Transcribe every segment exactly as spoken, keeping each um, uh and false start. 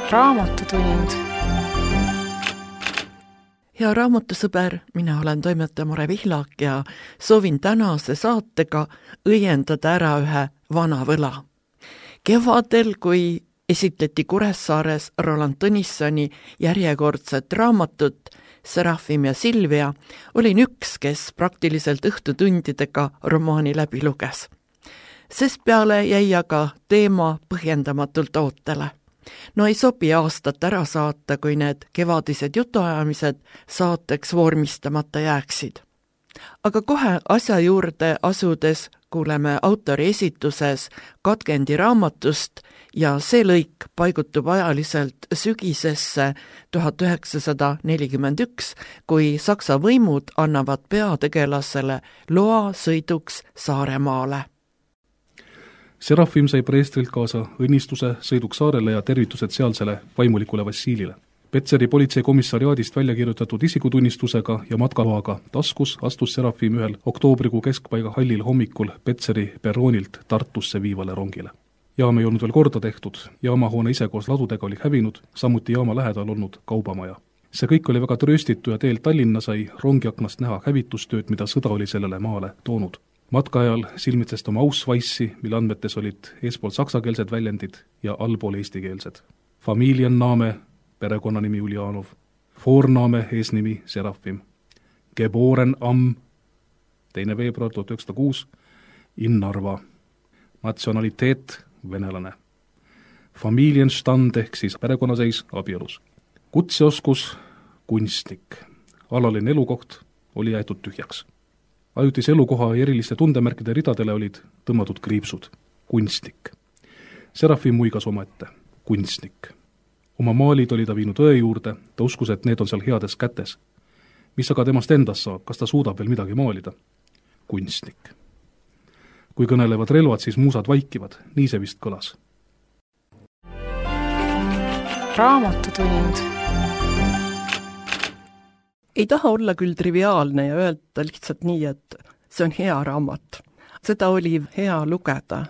Raamatutund. Hea raamatusõber, mina olen toimetaja Mare Vihlak ja soovin tänase saatega õiendada ära ühe vana võla. Kevadel, kui esitleti Kuressaares Roland Tõnissoni järjekordset raamatut Serafim ja Silvia, olin üks, kes praktiliselt õhtutundidega romaani läbi luges. Sest peale jäi aga teema põhjendamatult ootele. No ei sobi aastat ära saata, kui need kevadised jutuajamised saateks vormistamata jääksid. Aga kohe asja juurde asudes kuuleme autori esituses Katkendi raamatust ja see lõik paigutub ajaliselt sügisesse tuhat üheksasada nelikümmend üks, kui Saksa võimud annavad peategelasele loa sõiduks Saaremaale. Serafim sai preestrilt kaasa õnnistuse sõiduks saarele ja tervitused sealsele vaimulikule Vassilile. Petseri politseikomissariaadist välja kirjutatud isikutunnistusega ja matkaloaga taskus astus Serafim ühel oktoobrikuu keskpaiga hallil hommikul Petseri perroonilt Tartusse viivale rongile. Jaam ei olnud veel korda tehtud, jaamahoone ise koos ladudega oli hävinud, samuti jaama lähedal olnud kaubamaja. See kõik oli väga trööstitu ja teel Tallinna sai rongiaknast näha hävitustööd, mida sõda oli sellele maale toonud. Matka ajal silmitsest oma Ausweissi, mille andmetes olid eespool saksakeelsed väljendid ja allpool eestikeelsed. Familienname, perekonnanimi Uljanov, Vorname, eesnimi Serafim, Geboren am, teine veebruar tuhat üheksasada kuus, in Narva, natsionaliteet, venelane, Familienstand ehk siis perekonnaseis abielus, kutseoskus, kunstnik, alaline elukoht oli jäetud tühjaks. Ajutise elukoha ja eriliste tundemärkide ridadele olid tõmmatud kriipsud. Kunstnik. Serafim muigas omaette. Kunstnik. Oma maalid oli ta viinud õe juurde, ta uskus, et need on seal heades kätes. Mis aga temast endast saab, kas ta suudab veel midagi maalida? Kunstnik. Kui kõnelevad relvad, siis muusad vaikivad. Nii see vist kõlas. Raamatutund. Ei taha olla küll triviaalne ja öelda lihtsalt nii, et see on hea raamat. Seda oli hea lugeda.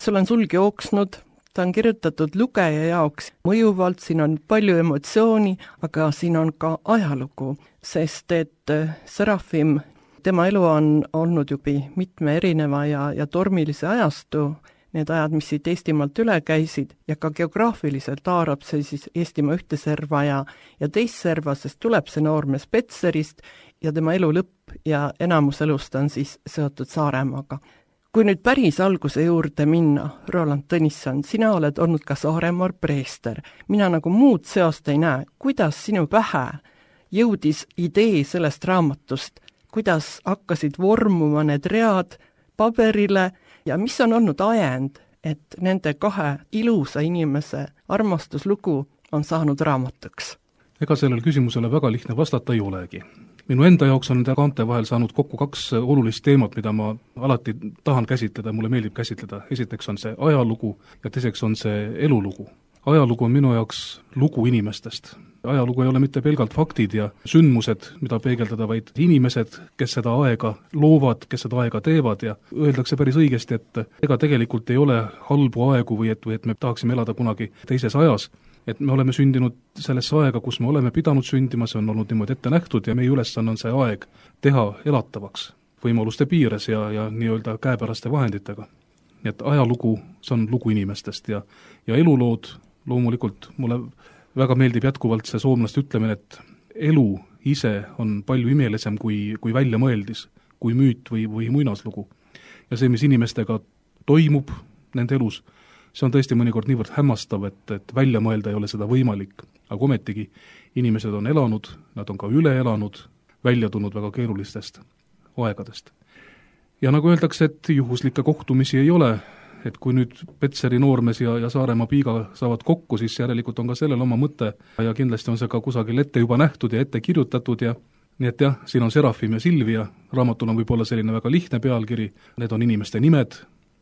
Sul on sulg jooksnud, ta on kirjutatud lugeja jaoks mõjuvalt, siin on palju emotsiooni, aga siin on ka ajalugu, sest et Serafim, tema elu on olnud juba mitme erineva ja, ja tormilise ajastu, need ajad, mis siit Eestimaalt üle käisid, ja ka geograafiliselt haarab see siis Eestimaa ühte serva ja, ja teist serva, sest tuleb see noormees Petserist ja tema elu lõpp ja enamus elust on siis seotud Saaremaaga. Kui nüüd päris alguse juurde minna, Roland Tõnisson, sina oled olnud ka Saaremaal preester. Mina nagu muud seost ei näe. Kuidas sinu pähe jõudis idee sellest raamatust? Kuidas hakkasid vormuma need read paberile? Ja mis on olnud ajend, et nende kahe ilusa inimese armastuslugu on saanud raamatuks? Ega sellel küsimusele väga lihtne vastata ei olegi. Minu enda jaoks on nende kaante vahel saanud kokku kaks olulist teemat, mida ma alati tahan käsitleda, mulle meeldib käsitleda. Esiteks on see ajalugu ja teiseks on see elulugu. Ajalugu on minu jaoks lugu inimestest. Ajalugu ei ole mitte pelgalt faktid ja sündmused, mida peegeldada, vaid inimesed, kes seda aega loovad, kes seda aega teevad ja öeldakse päris õigesti, et ega tegelikult ei ole halbu aegu või et, või et me tahaksime elada kunagi teises ajas, et me oleme sündinud sellesse aega, kus me oleme pidanud sündima, see on olnud niimoodi ette nähtud ja meie ülesanne on see aeg teha elatavaks võimaluste piires ja, ja nii-öelda käepäraste vahenditega. Nii et ajalugu, see on lugu inimestest ja, ja elulood loomulikult mulle väga meeldib jätkuvalt see soomlaste ütlemine, et elu ise on palju imelisem kui, kui välja mõeldis, kui müüt või, või muinaslugu. Ja see, mis inimestega toimub nende elus, see on tõesti mõnikord niivõrd hämmastav, et, et välja mõelda ei ole seda võimalik. Aga ometigi inimesed on elanud, nad on ka üle elanud, välja tulnud väga keerulistest aegadest. Ja nagu öeldakse, et juhuslikke kohtumisi ei ole, et kui nüüd Petseri noormees ja, ja Saaremaa piiga saavad kokku, siis järelikult on ka sellel oma mõte ja kindlasti on see ka kusagil ette juba nähtud ja ette kirjutatud ja nii et jah, siin on Serafim ja Silvia, raamatul on võib-olla selline väga lihtne pealkiri, need on inimeste nimed,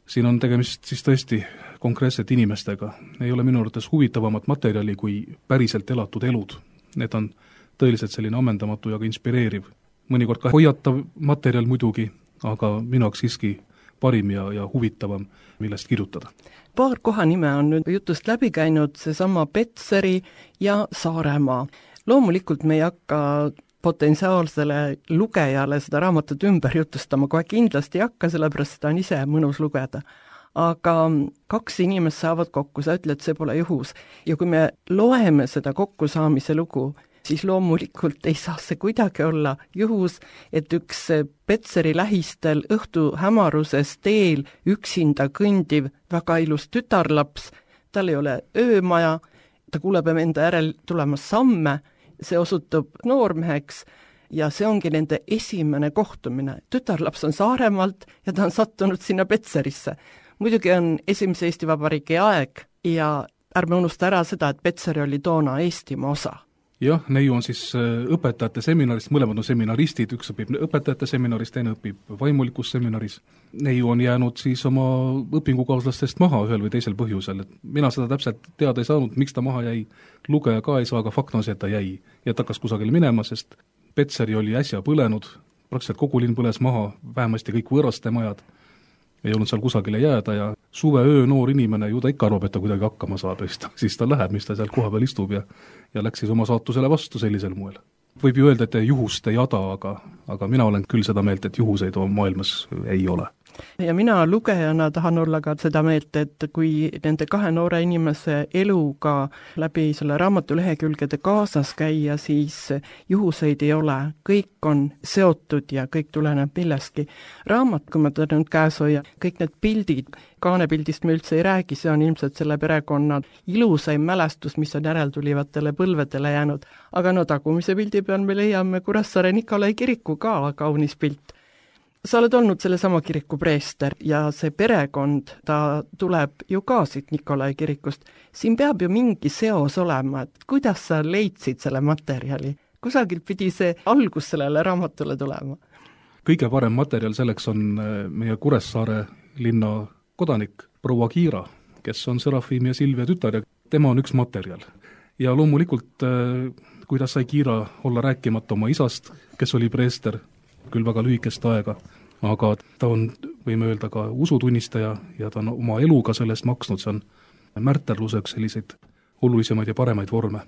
siin on tegemist siis tõesti konkreetselt inimestega, ei ole minu arvates huvitavamat materjali kui päriselt elatud elud, need on tõeliselt selline ammendamatu ja ka inspireeriv, mõnikord ka hoiatav materjal muidugi, aga minu jaoks siiski parim ja, ja huvitavam, millest kirjutada. Paar kohanime on nüüd jutust läbi käinud, seesama Petseri ja Saaremaa. Loomulikult me ei hakka potentsiaalsele lugejale seda raamatut ümber jutustama, kohe kindlasti ei hakka, sellepärast seda on ise mõnus lugeda. Aga kaks inimest saavad kokku, sa ütled, see pole juhus. Ja kui me loeme seda kokkusaamise lugu, siis loomulikult ei saa see kuidagi olla juhus, et üks Petseri lähistel õhtu hämaruses teel üksinda kõndiv väga ilus tütarlaps, tal ei ole öömaja, ta kuuleb enda järel tulemas samme, see osutub noormeheks ja see ongi nende esimene kohtumine. Tütarlaps on Saaremaalt ja ta on sattunud sinna Petserisse. Muidugi on esimese Eesti Vabariigi aeg ja ärme unusta ära seda, et Petseri oli toona Eestimaa osa. Jah, neiu on siis õpetajate seminarist, mõlemad on seminaristid, üks õpib õpetajate seminaris, teine õpib vaimulikus seminaris. Neiu on jäänud siis oma õpingukaaslastest maha ühel või teisel põhjusel. Et mina seda täpselt teada ei saanud, miks ta maha jäi, lugeja ka ei saa, aga fakt on see, et ta jäi. Ja ta hakkas kusagil minema, sest Petseri oli äsja põlenud, praktiliselt kogu linn põles maha, vähemasti kõik võõraste majad. Ei olnud seal kusagile jääda ja suve öö noor inimene ju ta ikka arvab, et ta kuidagi hakkama saab ja siis ta, siis ta läheb, mis ta seal koha peal istub ja, ja läks siis oma saatusele vastu sellisel moel. Võib ju öelda, et juhust ei jada, aga, aga mina olen küll seda meelt, et juhuseid maailmas ei ole. Ja mina lugejana tahan olla ka seda meelt, et kui nende kahe noore inimese eluga läbi selle raamatu lehekülgede kaasas käia, siis juhuseid ei ole, kõik on seotud ja kõik tuleneb millestki. Raamat, kui ma teda nüüd käes hoia, kõik need pildid, kaanepildist me üldse ei räägi, see on ilmselt selle perekonna ilusaim mälestus, mis on järeltulivatele põlvedele jäänud. Aga no tagumise pildi peal me leiame Kuressaare Nikolai kiriku ka kaunis pilt. Sa oled olnud selle sama kiriku preester ja see perekond, ta tuleb ju ka siit Nikolai kirikust. Siin peab ju mingi seos olema, et kuidas sa leidsid selle materjali? Kusagilt pidi see algus sellele raamatule tulema? Kõige parem materjal selleks on meie Kuressaare linna kodanik, proua Kiira, kes on Serafim ja Silvia tütar ja tema on üks materjal. Ja loomulikult, kuidas sai Kiira olla rääkimata oma isast, kes oli preester, küll väga lühikest aega, aga ta on, võime öelda, ka usutunnistaja ja ta on oma eluga sellest maksnud, see on märterluseks selliseid olulisemaid ja paremaid vorme.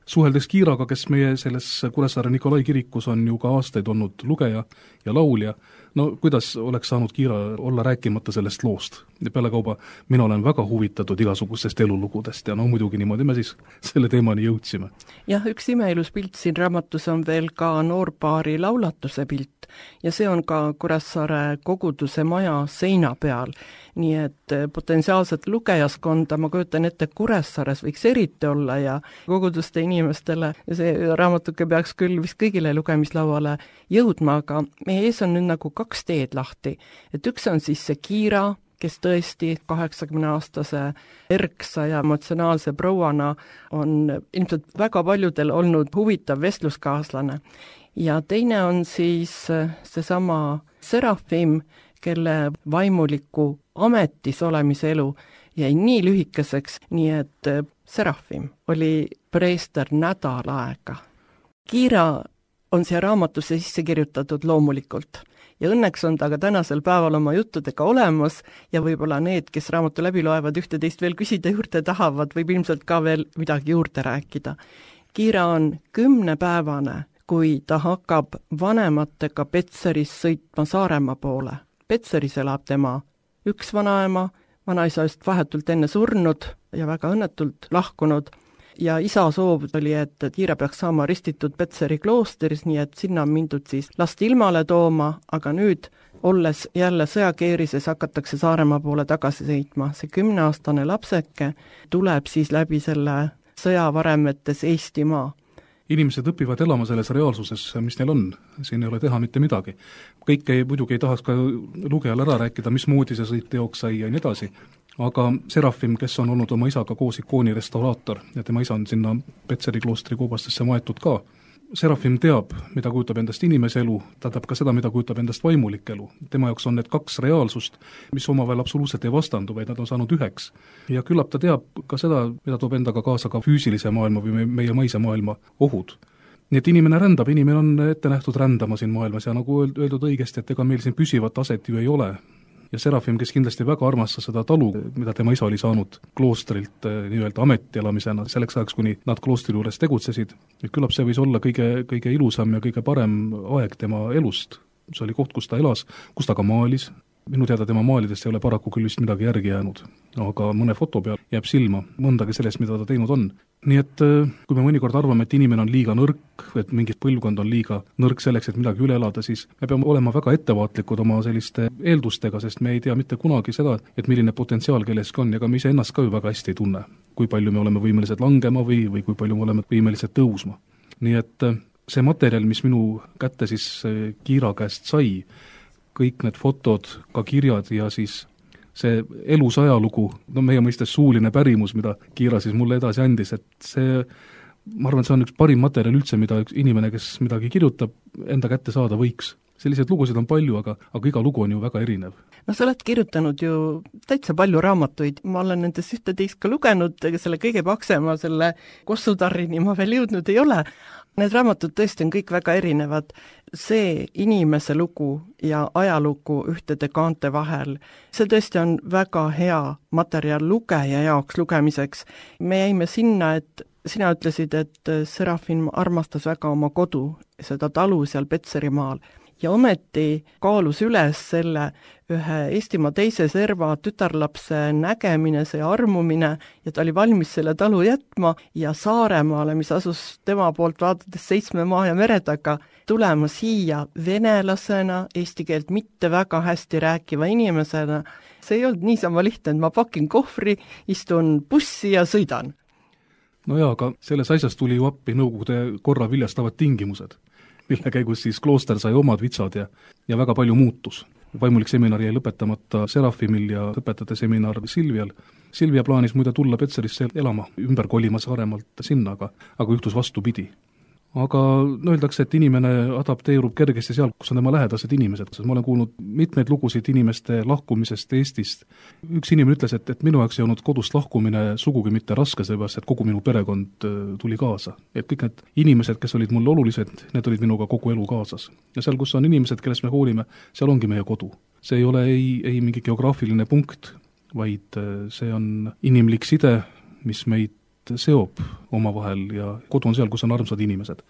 Suheldes Kiiraga, kes meie selles Kuressaare Nikolai kirikus on ju ka aastaid olnud lugeja ja laulja, no kuidas oleks saanud Kiira olla rääkimata sellest loost? Ja peale kauba mina olen väga huvitatud igasugustest elulugudest ja no muidugi niimoodi me siis selle teemani jõudsime. Jah, üks imeilus pilt siin raamatus on veel ka noorpaari laulatuse pilt ja see on ka Kuressaare koguduse maja seina peal. Nii et potentsiaalset lugejaskonda, ma kujutan ette, Kuressaares võiks eriti olla ja koguduste inimestele ja see raamatuke peaks küll vist kõigile lugemislauale jõudma, aga meie ees on nüüd nagu kaks teed lahti. Et üks on siis see Kiira, kes tõesti kaheksakümne aastase erksa ja emotsionaalse prouana on ilmselt väga paljudel olnud huvitav vestluskaaslane. Ja teine on siis seesama Serafim, kelle vaimuliku ametis olemise elu jäi nii lühikeseks, nii et Serafim oli preester nädal aega. Kiira on siia raamatusse sisse kirjutatud loomulikult ja õnneks on ta ka tänasel päeval oma juttudega olemas ja võib-olla need, kes raamatu läbi loevad ühte-teist veel küsida juurde tahavad, võib ilmselt ka veel midagi juurde rääkida. Kiira on kümnepäevane, kui ta hakkab vanematega Petseris sõitma Saaremaa poole. Petseris elab tema üks vanaema, vanaisa just vahetult enne surnud ja väga õnnetult lahkunud ja isa soov oli, et Kiira peaks saama ristitud Petseri kloosteris, nii et sinna on mindud siis last ilmale tooma, aga nüüd, olles jälle sõjakeerises, hakatakse Saaremaa poole tagasi sõitma. See kümneaastane lapseke tuleb siis läbi selle sõjavaremetes Eestimaa. Inimesed õpivad elama selles reaalsuses, mis neil on, siin ei ole teha mitte midagi. Kõik ei, muidugi ei tahaks ka lugejal ära rääkida, mismoodi see sõit teoks sai ja nii edasi, aga Serafim, kes on olnud oma isaga koos ikooni restauraator ja tema isa on sinna Petseri kloostri koobastesse maetud ka, Serafim teab, mida kujutab endast inimese elu, ta teab ka seda, mida kujutab endast vaimulik elu. Tema jaoks on need kaks reaalsust, mis omavahel absoluutselt ei vastandu, vaid nad on saanud üheks. Ja küllap ta teab ka seda, mida toob endaga kaasa ka füüsilise maailma või meie maise maailma ohud. Nii et inimene rändab, inimene on ette nähtud rändama siin maailmas ja nagu öeldud õigesti, et ega meil siin püsivat aset ju ei ole. ja Serafim, kes kindlasti väga armastas seda talu, mida tema isa oli saanud kloostrilt nii-öelda ametielamisena selleks ajaks, kuni nad kloostri juures tegutsesid, et küllap see võis olla kõige, kõige ilusam ja kõige parem aeg tema elust. See oli koht, kus ta elas, kus ta ka maalis. Minu teada tema maalidest ei ole paraku küll vist midagi järgi jäänud, aga mõne foto peal jääb silma mõndagi sellest, mida ta teinud on. Nii et kui me mõnikord arvame, et inimene on liiga nõrk, et mingit põlvkond on liiga nõrk selleks, et midagi üle elada, siis me peame olema väga ettevaatlikud oma selliste eeldustega, sest me ei tea mitte kunagi seda, et milline potentsiaal kelleski on, ja ka me ise ennast ka ju väga hästi ei tunne, kui palju me oleme võimelised langema või, või kui palju me oleme võimelised tõusma. Nii et see materjal, mis minu kätte siis Kiira käest sai, kõik need fotod, ka kirjad ja siis see elus ajalugu, no meie mõistes suuline pärimus, mida Kiira siis mulle edasi andis, et see, ma arvan, see on üks parim materjal üldse, mida üks inimene, kes midagi kirjutab, enda kätte saada võiks. Selliseid lugusid on palju, aga, aga iga lugu on ju väga erinev. No sa oled kirjutanud ju täitsa palju raamatuid, ma olen nendest ühte-teist ka lugenud, selle kõige paksema, selle Kossutarrini ma veel jõudnud ei ole. Need raamatud tõesti on kõik väga erinevad. See inimese lugu ja ajalugu ühtede kaante vahel, see tõesti on väga hea materjal lugeja jaoks lugemiseks. Me jäime sinna, et sina ütlesid, et Serafim armastas väga oma kodu, seda talu seal Petserimaal. Ja ometi kaalus üles selle ühe Eestimaa teise serva tütarlapse nägemine, see armumine, ja ta oli valmis selle talu jätma ja Saaremaale, mis asus tema poolt vaadates seitsme maa ja mere taga, tulema siia venelasena, eesti keelt mitte väga hästi rääkiva inimesena. See ei olnud niisama lihtne, et ma pakin kohvri, istun bussi ja sõidan. No jaa, aga selles asjas tuli ju appi Nõukogude korra viljastavad tingimused, mille käigus siis klooster sai omad vitsad ja, ja väga palju muutus. Vaimulik seminar jäi lõpetamata Serafimil ja õpetajate seminar Silvial. Silvia plaanis muide tulla Petserisse elama, ümber kolima Saaremaalt sinna, aga, aga juhtus vastupidi. Aga no öeldakse, et inimene adapteerub kergesti seal, kus on tema lähedased inimesed. Ma olen kuulnud mitmeid lugusid inimeste lahkumisest Eestist. Üks inimene ütles, et, et minu jaoks ei olnud kodust lahkumine sugugi mitte raske, sellepärast, et kogu minu perekond tuli kaasa. Et kõik need inimesed, kes olid mulle olulised, need olid minuga kogu elu kaasas. Ja seal, kus on inimesed, kellest me hoolime, seal ongi meie kodu. See ei ole ei, ei mingi geograafiline punkt, vaid see on inimlik side, mis meid seob omavahel ja kodu on seal, kus on armsad inimesed.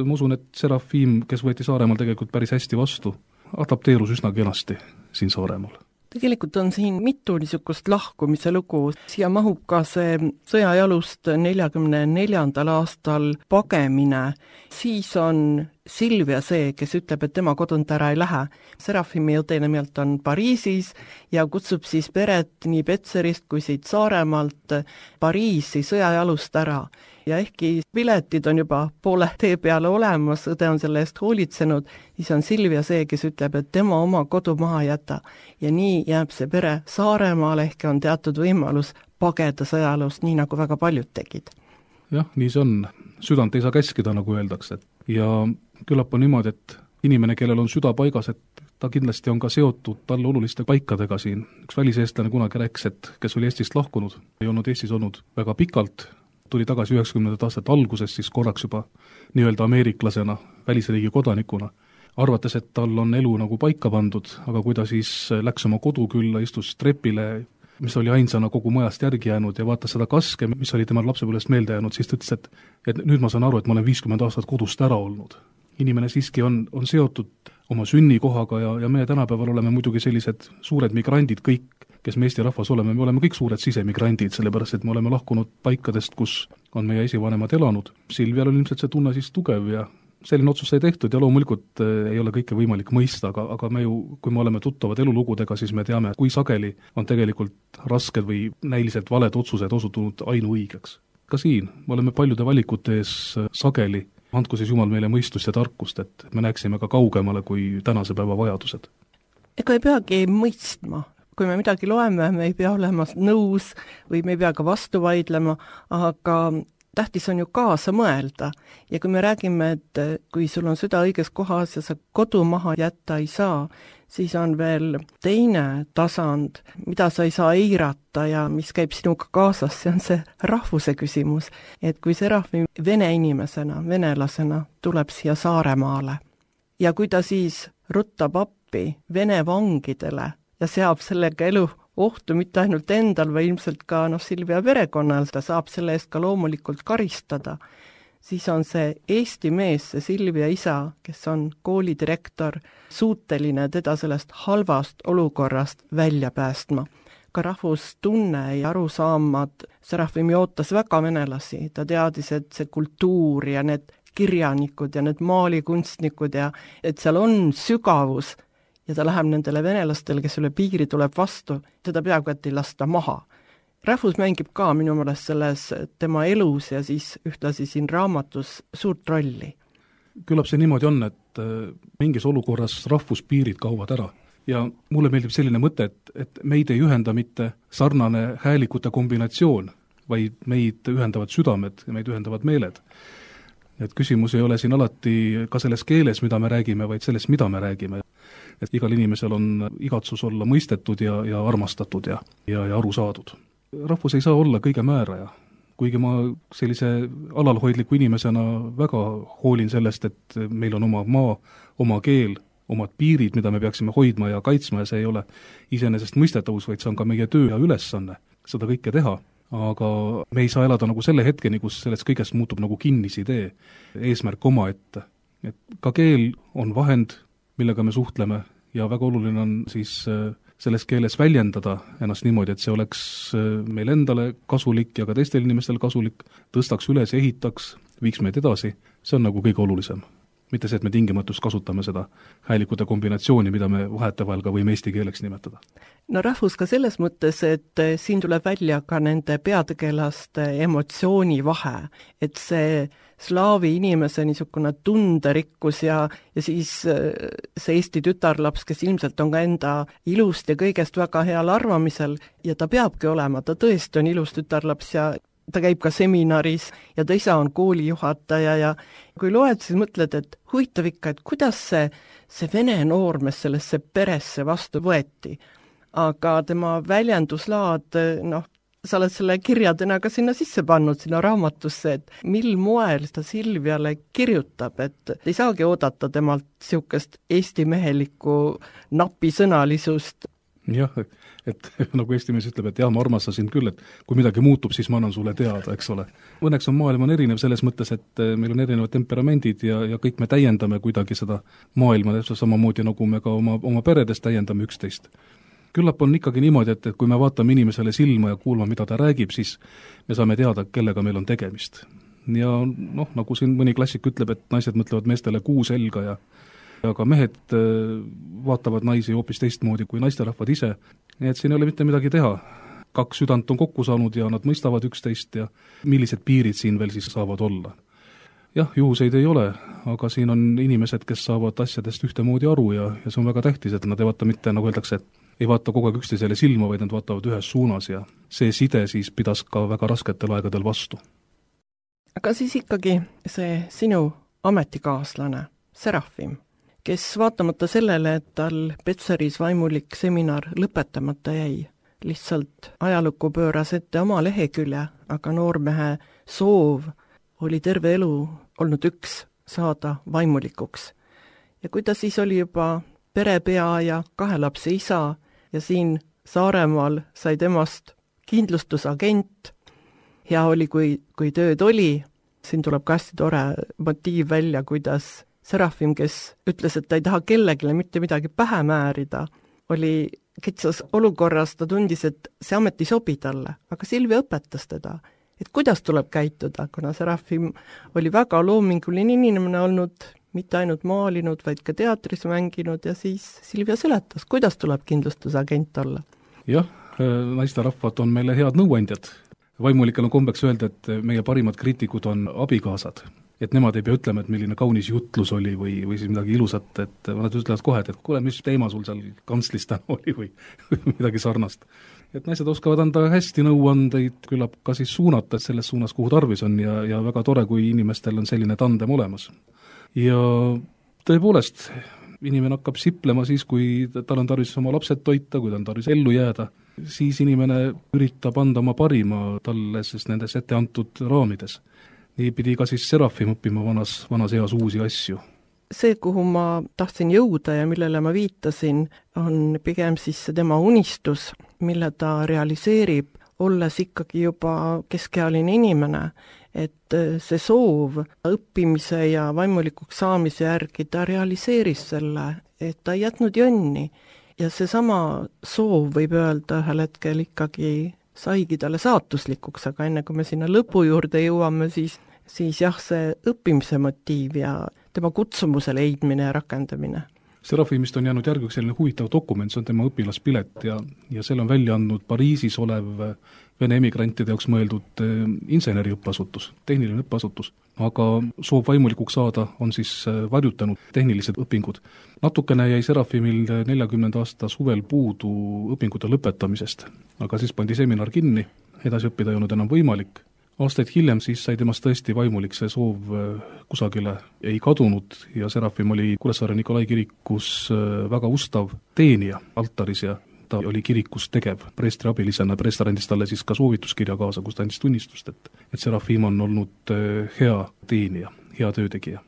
Ma usun, et Serafim, kes võeti Saaremaal tegelikult päris hästi vastu, adapteerus üsna kenasti siin Saaremaal. Tegelikult on siin mitu niisugust lahkumise lugu. Siia mahub ka see sõjajalust neljakümne neljandal aastal pagemine. Siis on Silvia see, kes ütleb, et tema kodunt ära ei lähe. Serafimi õde nimelt on Pariisis ja kutsub siis peret nii Petserist kui siit Saaremaalt Pariisi sõjajalust ära. Ja ehkki piletid on juba poole tee peale olemas, õde on selle eest hoolitsenud, siis on Silvia see, kes ütleb, et tema oma kodu maha jäta. Ja nii jääb see pere Saaremaale, ehk on teatud võimalus pageda sõjalust, nii nagu väga paljud tegid. Jah, nii see on. Südant ei saa käskida, nagu öeldakse. Ja küllap on niimoodi, et inimene, kellel on süda paigas, et ta kindlasti on ka seotud talle oluliste paikadega siin. Üks väliseestlane kunagi rääkis, et kes oli Eestist lahkunud, ei olnud Eestis olnud väga pikalt, tuli tagasi üheksakümnendate aastate alguses siis korraks juba nii-öelda ameeriklasena, välisriigi kodanikuna, arvates, et tal on elu nagu paika pandud, aga kui ta siis läks oma kodu külla, istus trepile, mis oli ainsana kogu majast järgi jäänud ja vaatas seda kaske, mis oli temal lapsepõlvest meelde jäänud, siis ta ütles, et, et nüüd ma saan aru, et ma olen viiskümmend aastat kodust ära olnud. Inimene siiski on, on seotud oma sünnikohaga ja, ja meie tänapäeval oleme muidugi sellised suured migrandid kõik, kes me Eesti rahvas oleme, me oleme kõik suured sisemigrandid, sellepärast et me oleme lahkunud paikadest, kus on meie esivanemad elanud. Silvial on ilmselt see tunne siis tugev ja selline otsus sai tehtud ja loomulikult ei ole kõike võimalik mõista, aga, aga me ju, kui me oleme tuttavad elulugudega, siis me teame, kui sageli on tegelikult rasked või näiliselt valed otsused osutunud ainuõigeks. Ka siin me oleme paljude valikute ees sageli, andku siis Jumal meile mõistust ja tarkust, et me näeksime ka kaugemale kui tänase päeva vajadused. Ega ei peagi mõistma. Kui me midagi loeme, me ei pea olema nõus või me ei pea ka vastu vaidlema, aga tähtis on ju kaasa mõelda. Ja kui me räägime, et kui sul on süda õiges kohas ja sa kodu maha jätta ei saa, siis on veel teine tasand, mida sa ei saa eirata ja mis käib sinuga kaasas, see on see rahvuse küsimus. Et kui Serafim vene inimesena, venelasena tuleb siia Saaremaale ja kui ta siis ruttab appi vene vangidele, ja seab sellega elu ohtu mitte ainult endal, või ilmselt ka noh, Silvia perekonnal, ta saab selle eest ka loomulikult karistada, siis on see Eesti mees, see Silvia isa, kes on koolidirektor, suuteline teda sellest halvast olukorrast välja päästma. Ka rahvustunne ja arusaamad, Serafim ootas väga venelasi, ta teadis, et see kultuur ja need kirjanikud ja need maalikunstnikud ja et seal on sügavus ja ta läheb nendele venelastele, kes üle piiri tuleb vastu, teda peaaegu et ei lasta maha. Rahvus mängib ka minu meelest selles tema elus ja siis ühtlasi siin raamatus suurt rolli. Küllap see niimoodi on, et mingis olukorras rahvuspiirid kaovad ära. Ja mulle meeldib selline mõte, et, et meid ei ühenda mitte sarnane häälikute kombinatsioon, vaid meid ühendavad südamed ja meid ühendavad meeled. Et küsimus ei ole siin alati ka selles keeles, mida me räägime, vaid selles, mida me räägime. Et igal inimesel on igatsus olla mõistetud ja, ja armastatud ja, ja, ja aru saadud. Rahvus ei saa olla kõige määraja, kuigi ma sellise alalhoidliku inimesena väga hoolin sellest, et meil on oma maa, oma keel, omad piirid, mida me peaksime hoidma ja kaitsma ja see ei ole iseenesest mõistetavus, vaid see on ka meie töö ja ülesanne seda kõike teha. Aga me ei saa elada nagu selle hetkeni, kus sellest kõigest muutub nagu kinnisidee, eesmärk oma ette. Et ka keel on vahend, millega me suhtleme ja väga oluline on siis selles keeles väljendada ennast niimoodi, et see oleks meil endale kasulik ja ka teistel inimestel kasulik, tõstaks üles, ehitaks, viiks meid edasi, see on nagu kõige olulisem. Mitte see, et me tingimatust kasutame seda häälikute kombinatsiooni, mida me vahetevahel ka võime eesti keeleks nimetada. No rahvus ka selles mõttes, et siin tuleb välja ka nende peategelaste emotsiooni vahe, et see slaavi inimese niisugune tunderikkus ja, ja siis see Eesti tütarlaps, kes ilmselt on ka enda ilust ja kõigest väga heal arvamisel ja ta peabki olema, ta tõesti on ilus tütarlaps ja ta käib ka seminaris ja ta isa on koolijuhataja ja kui loed, siis mõtled, et huvitav ikka, et kuidas see, see vene noormees sellesse peresse vastu võeti. Aga tema väljenduslaad, noh, sa oled selle kirjadena ka sinna sisse pannud, sinna raamatusse, et mil moel ta Silviale kirjutab, et ei saagi oodata temalt niisugust eesti mehelikku napisõnalisust. Jah, et nagu Eesti mees ütleb, et jah, ma armastasin küll, et kui midagi muutub, siis ma annan sulle teada, eks ole. Õnneks on maailm on erinev selles mõttes, et meil on erinevad temperamendid ja, ja kõik me täiendame kuidagi seda maailma, samamoodi nagu me ka oma, oma peredes täiendame üksteist. Küllap on ikkagi niimoodi, et, et kui me vaatame inimesele silma ja kuulma, mida ta räägib, siis me saame teada, kellega meil on tegemist. Ja noh, nagu siin mõni klassik ütleb, et naised mõtlevad meestele kuu selga ja aga mehed vaatavad naisi hoopis teistmoodi kui naisterahvad ise, nii et siin ei ole mitte midagi teha. Kaks südant on kokku saanud ja nad mõistavad üksteist ja millised piirid siin veel siis saavad olla. Jah, juhuseid ei ole, aga siin on inimesed, kes saavad asjadest ühtemoodi aru ja, ja see on väga tähtis, et nad ei vaata mitte, nagu öeldakse, et ei vaata kogu aeg üksteisele silma, vaid nad vaatavad ühes suunas ja see side siis pidas ka väga rasketel aegadel vastu. Aga siis ikkagi see sinu ametikaaslane, Serafim, kes vaatamata sellele, et tal Petseris vaimulik seminar lõpetamata jäi, lihtsalt ajalukku pööras ette oma lehekülje, aga noormehe soov oli terve elu olnud üks, saada vaimulikuks. Ja kui ta siis oli juba perepea ja kahe lapse isa ja siin Saaremaal sai temast kindlustusagent, hea oli, kui, kui tööd oli, siin tuleb ka hästi tore motiiv välja, kuidas Serafim, kes ütles, et ta ei taha kellegile mitte midagi pähe määrida, oli kitsas olukorras, ta tundis, et see amet ei sobi talle, aga Silvia õpetas teda, et kuidas tuleb käituda, kuna Serafim oli väga loominguline inimene olnud, mitte ainult maalinud, vaid ka teatris mänginud ja siis Silvia seletas, kuidas tuleb kindlustusagent olla. Jah, naisterahvad on meile head nõuandjad. Vaimulikel on kombeks öelda, et meie parimad kriitikud on abikaasad. Et nemad ei pea ütlema, et milline kaunis jutlus oli või, või siis midagi ilusat, et nad ütlevad kohe, et kuule, mis teema sul seal kantslis täna oli või, või midagi sarnast. Et naised oskavad anda hästi nõuandeid, küllap ka siis suunata selles suunas, kuhu tarvis on ja, ja väga tore, kui inimestel on selline tandem olemas. Ja tõepoolest, inimene hakkab siplema siis, kui tal on tarvis oma lapsed toita, kui tal on tarvis ellu jääda, siis inimene üritab anda oma parima talle siis nendes ette antud raamides. Nii pidi ka siis Serafim õppima vanas, vanas eas uusi asju. see, kuhu ma tahtsin jõuda ja millele ma viitasin, on pigem siis see tema unistus, mille ta realiseerib, olles ikkagi juba keskealine inimene, et see soov õppimise ja vaimulikuks saamise järgi ta realiseeris selle, et ta ei jätnud jonni. Ja seesama soov, võib öelda, ühel hetkel ikkagi saigi talle saatuslikuks, aga enne kui me sinna lõpu juurde jõuame, siis, siis jah, see õppimise motiiv ja tema kutsumuse leidmine ja rakendamine. Serafimist on jäänud järgüks selline huvitav dokument, see on tema õpilaspilet ja, ja selle on välja andnud Pariisis olev Vene emigrantide jaoks mõeldud inseneri õppeasutus, tehniline õppeasutus. Aga soov vaimulikuks saada on siis varjutanud tehnilised õpingud. Natukene jäi Serafimil neljakümnenda aasta suvel puudu õpingute lõpetamisest, aga siis pandi seminar kinni, edasi õppida ei olnud enam võimalik. Aastaid hiljem siis sai temast tõesti vaimulik, see soov kusagile ei kadunud ja Serafim oli Kuressaare Nikolai kirikus väga ustav teenija altaris ja ta oli kirikus tegev preestri abilisena, preester andis talle siis ka soovituskirja kaasa, kus ta andis tunnistust, et, et Serafim on olnud hea teenija, hea töötegija.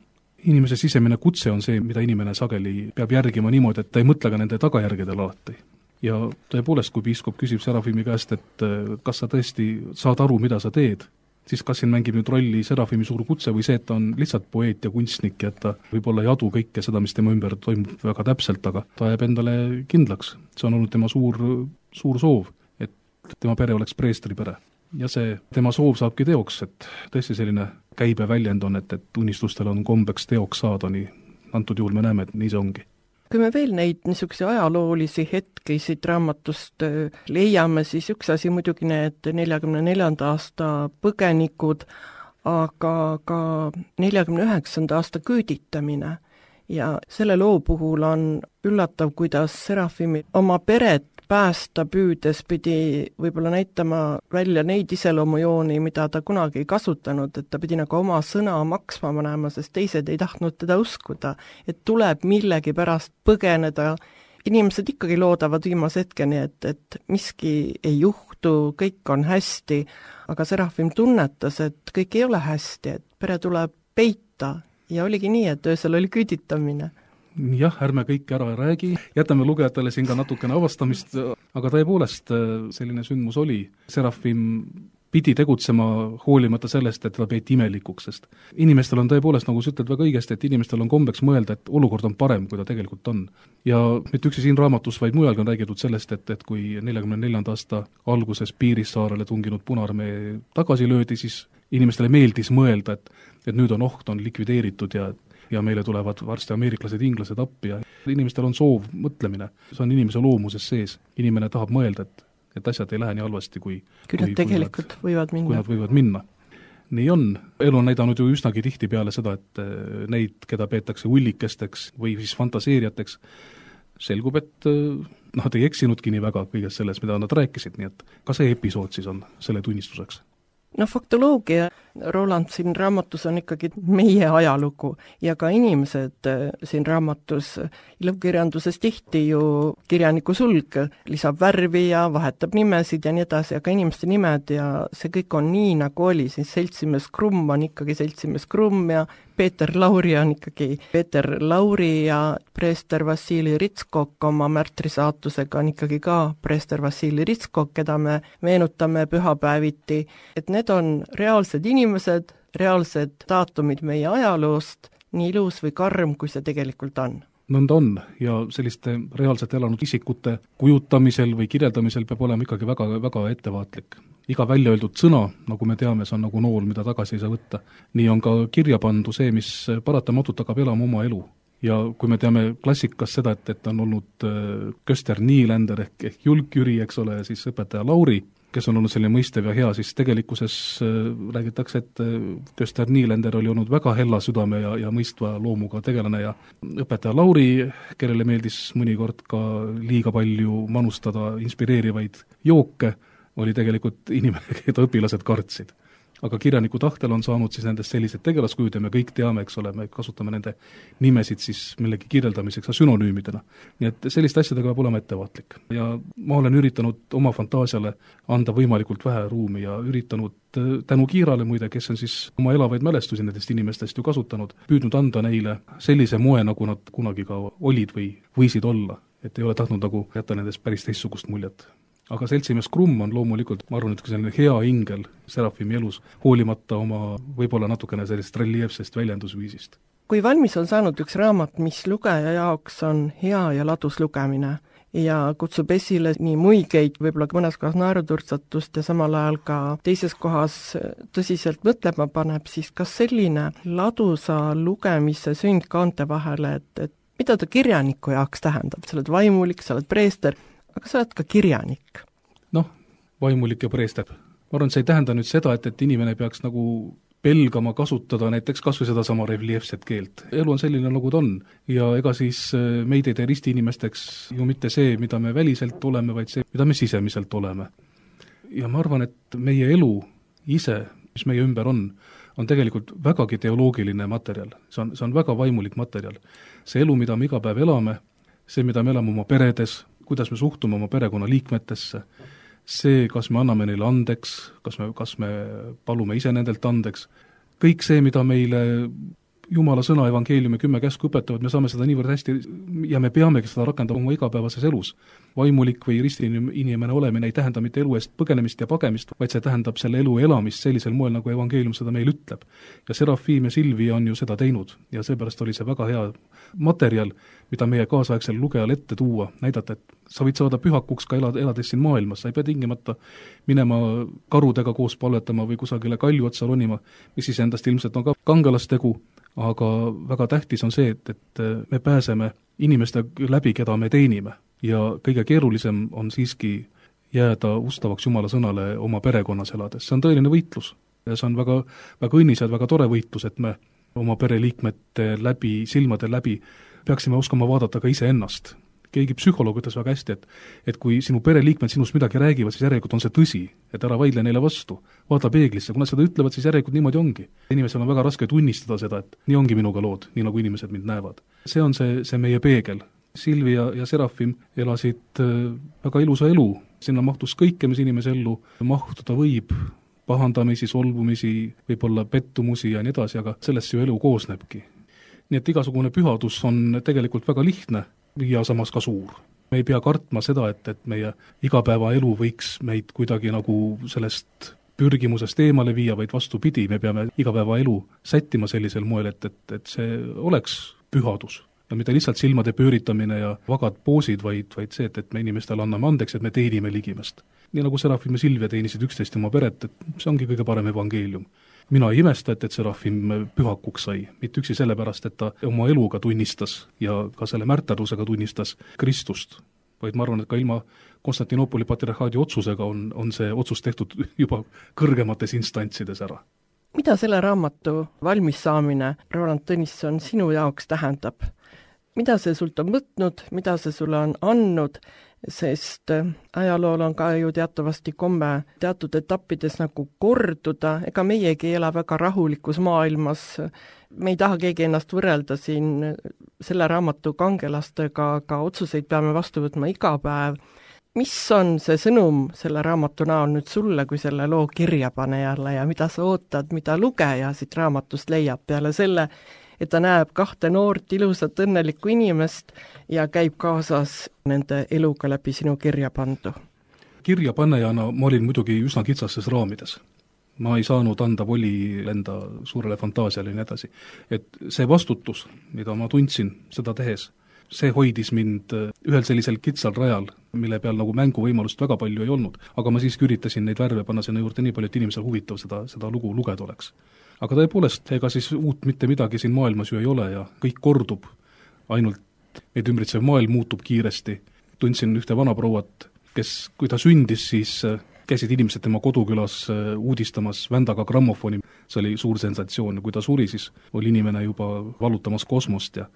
Inimese sisemine kutse on see, mida inimene sageli peab järgima niimoodi, et ta ei mõtle ka nende tagajärgedel alati. Ja tõepoolest, kui piiskop küsib Serafimi käest, et kas sa tõesti saad aru, mida sa teed, siis kas siin mängib nüüd rolli Serafimi suur kutse või see, et ta on lihtsalt poeet ja kunstnik ja et ta võib-olla ei adu kõike seda, mis tema ümber toimub väga täpselt, aga ta jääb endale kindlaks. See on olnud tema suur, suur soov, et tema pere oleks preestri pere. Ja see tema soov saabki teoks, et tõesti selline käibe väljend on, et, et unistustel on kombeks teoks saada, nii antud juhul me näeme, et nii see ongi. Kui me veel neid niisuguse ajaloolisi hetki siit raamatust leiame, siis üks asi muidugi need neljakümne neljanda aasta põgenikud, aga ka neljakümne üheksanda aasta küüditamine. Ja selle loo puhul on üllatav, kuidas Serafimi oma peret päästa püüdes pidi võib-olla näitama välja neid iseloomujooni, mida ta kunagi ei kasutanud, et ta pidi nagu oma sõna maksma panema, sest teised ei tahtnud teda uskuda, et tuleb millegi pärast põgeneda. Inimesed ikkagi loodavad viimase hetkeni, et, et miski ei juhtu, kõik on hästi, aga Serafim tunnetas, et kõik ei ole hästi, et pere tuleb peita ja oligi nii, et öösel oli küüditamine. Jah, ärme kõike ära räägi, jätame lugejatele siin ka natukene avastamist, aga tõepoolest selline sündmus oli. Serafim pidi tegutsema hoolimata sellest, et ta peeti imelikuks, sest inimestel on tõepoolest, nagu sa ütled väga õigesti, et inimestel on kombeks mõelda, et olukord on parem, kui ta tegelikult on. Ja mitte üksi siin raamatus, vaid mujalgi on räägitud sellest, et, et kui neljakümne neljanda aasta alguses Piirissaarele tunginud Punaarmee tagasi löödi, siis inimestele meeldis mõelda, et, et nüüd on oht, on likvideeritud ja ja meile tulevad varsti ameeriklased, inglased appi ja inimestel on soov, mõtlemine. See on inimese loomuses sees. Inimene tahab mõelda, et, et asjad ei lähe nii halvasti, kui, kui nad tegelikult kui nad, võivad minna. Kui nad võivad minna. Nii on. Elu on näidanud ju üsnagi tihti peale seda, et neid, keda peetakse ullikesteks või siis fantaseeriateks, selgub, et nad ei eksinudki nii väga kõigest selles, mida nad rääkisid, nii et ka see episood siis on selle tunnistuseks. No faktoloogia, Roland, siin raamatus on ikkagi meie ajalugu ja ka inimesed siin raamatus, ilukirjanduses tihti ju kirjaniku sulg lisab värvi ja vahetab nimesid ja nii edasi, aga inimeste nimed ja see kõik on nii, nagu oli, siis seltsimees Krumm on ikkagi seltsimees Krumm ja Peeter Lauri on ikkagi Peeter Lauri ja preester Vassili Ritskok oma märtrisaatusega on ikkagi ka preester Vassili Ritskok, keda me meenutame pühapäeviti, et need on reaalsed inimesed, reaalsed daatumid meie ajaloost, nii ilus või karm, kui see tegelikult on. Nõnda on ja selliste reaalselt elanud isikute kujutamisel või kirjeldamisel peab olema ikkagi väga, väga ettevaatlik. Iga välja öeldud sõna, nagu me teame, see on nagu nool, mida tagasi ei saa võtta. Nii on ka kirja pandu see, mis paratamatult hakkab elama oma elu. Ja kui me teame klassikas seda, et, et on olnud Köster Niiländer ehk, ehk Julk Jüri, eks ole, siis õpetaja Lauri, kes on olnud selline mõistev ja hea, siis tegelikkuses räägitakse, et Köster Niiländer oli olnud väga hella südame ja, ja mõistva loomuga tegelane ja õpetaja Lauri, kellele meeldis mõnikord ka liiga palju manustada inspireerivaid jooke, oli tegelikult inimene, keda õpilased kartsid. aga kirjaniku tahtel on saanud siis nendest sellised tegelaskujud ja me kõik teame, eks ole, me kasutame nende nimesid siis millegi kirjeldamiseks ja sünonüümidena. Nii et selliste asjadega peab olema ettevaatlik. Ja ma olen üritanud oma fantaasiale anda võimalikult vähe ruumi ja üritanud tänu Kiirale muide, kes on siis oma elavaid mälestusi nendest inimestest ju kasutanud, püüdnud anda neile sellise moe, nagu nad kunagi ka olid või võisid olla, et ei ole tahtnud nagu jätta nendest päris teistsugust muljet. Aga seltsimees Krumm on loomulikult, ma arvan, et selline hea ingel Serafimi elus, hoolimata oma võib-olla natukene sellist reljeefsest väljendusviisist. Kui valmis on saanud üks raamat, mis lugeja jaoks on hea ja ladus lugemine ja kutsub esile nii muigeid, võib-olla mõnes kohas naeruturtsatust ja samal ajal ka teises kohas tõsiselt mõtlema paneb, siis kas selline ladusa lugemise sünd kaante vahele, et, et mida ta kirjaniku jaoks tähendab, sa oled vaimulik, sa oled preester, aga sa oled ka kirjanik. Noh, vaimulik ja preester. Ma arvan, see ei tähenda nüüd seda, et, et inimene peaks nagu pelgama kasutada näiteks kas või seda sama reljeefset keelt. Elu on selline, nagu ta on. Ja ega siis meid ei tee risti inimesteks ju mitte see, mida me väliselt oleme, vaid see, mida me sisemiselt oleme. Ja ma arvan, et meie elu ise, mis meie ümber on, on tegelikult vägagi teoloogiline materjal. See on, see on väga vaimulik materjal. See elu, mida me iga päev elame, see, mida me elame oma peredes, kuidas me suhtume oma perekonna liikmetesse, see, kas me anname neile andeks, kas me, kas me palume ise nendelt andeks, kõik see, mida meile Jumala sõna, evangeeliumi kümme käsku õpetavad, me saame seda niivõrd hästi ja me peamegi seda rakendama oma igapäevases elus. Vaimulik või ristiinimene olemine ei tähenda mitte elu eest põgenemist ja pagemist, vaid see tähendab selle elu elamist sellisel moel, nagu evangeelium seda meil ütleb. Ja Serafim ja Silvia on ju seda teinud ja seepärast oli see väga hea materjal, mida meie kaasaegsel lugejal ette tuua, näidata, et sa võid saada pühakuks ka elad, elades siin maailmas, sa ei pea tingimata minema karudega koos palvetama või kusagile kalju otsa ronima, mis siis endast ilmselt on ka kangelastegu, aga väga tähtis on see, et, et me pääseme inimeste läbi, keda me teenime. Ja kõige keerulisem on siiski jääda ustavaks Jumala sõnale oma perekonnas elades. See on tõeline võitlus. Ja see on väga, väga õnnis ja väga tore võitlus, et me oma pereliikmete läbi, silmade läbi peaksime oskama vaadata ka ise ennast. Keegi psühholoog ütles väga hästi, et, et kui sinu pereliikmed sinust midagi räägivad, siis järelikult on see tõsi, et ära vaidle neile vastu. Vaata peeglisse, kui nad seda ütlevad, siis järelikult niimoodi ongi. Inimesel on väga raske tunnistada seda, et nii ongi minuga lood, nii nagu inimesed mind näevad. See on see, see meie peegel. Silvia ja Serafim elasid väga ilusa elu. Sinna mahtus kõike, mis inimese ellu mahtuda võib, pahandamisi, solvumisi, võib-olla pettumusi ja nii edasi, aga sellest ju elu koosnebki. Nii et igasugune pühadus on tegelikult väga lihtne ja samas ka suur. Me ei pea kartma seda, et, et meie igapäevaelu võiks meid kuidagi nagu sellest pürgimusest eemale viia, vaid vastupidi, me peame igapäevaelu sättima sellisel moel, et, et, et see oleks pühadus. Ja mitte lihtsalt silmade pööritamine ja vagad poosid, vaid, vaid see, et, et me inimestele anname andeks, et me teenime ligimest. Nii nagu Serafim ja Silvia teenisid üksteist oma peret, et see ongi kõige parem evangeelium. Mina ei imesta, et, et Serafim pühakuks sai, mitte üksi sellepärast, et ta oma eluga tunnistas ja ka selle märterdusega tunnistas Kristust, vaid ma arvan, et ka ilma Konstantinoopoli patriarhaadi otsusega on, on see otsus tehtud juba kõrgemates instantsides ära. Mida selle raamatu valmis saamine, Roland Tõnisson, sinu jaoks tähendab? Mida see sult on võtnud, mida see sulle on andnud, sest ajalool on ka ju teatavasti komme teatud etappides nagu korduda, ega meiegi ela väga rahulikus maailmas, me ei taha keegi ennast võrrelda siin selle raamatu kangelastega, aga otsuseid peame vastu võtma iga päev. Mis on see sõnum selle raamatu näol nüüd sulle kui selle loo kirjapanejale ja mida sa ootad, mida lugeja siit raamatust leiab peale selle, et ta näeb kahte noort ilusat õnnelikku inimest ja käib kaasas nende eluga läbi sinu kirja pandu? Kirjapanejana ma olin muidugi üsna kitsastes raamides. Ma ei saanud anda voli enda suurele fantaasiale ja nii edasi. Et see vastutus, mida ma tundsin seda tehes, see hoidis mind ühel sellisel kitsal rajal, mille peal nagu mänguvõimalust väga palju ei olnud. Aga ma siiski üritasin neid värve panna sinna juurde nii palju, et inimesel huvitav seda, seda lugu lugeda oleks. Aga tõepoolest, ega siis uut mitte midagi siin maailmas ju ei ole ja kõik kordub, ainult meid ümbritsev maailm muutub kiiresti. Tundsin ühte vanaprouat, kes, kui ta sündis, siis käisid inimesed tema kodukülas uudistamas vändaga grammofoni. See oli suur sensatsioon. Kui ta suri, siis oli inimene juba valutamas kosmost ja,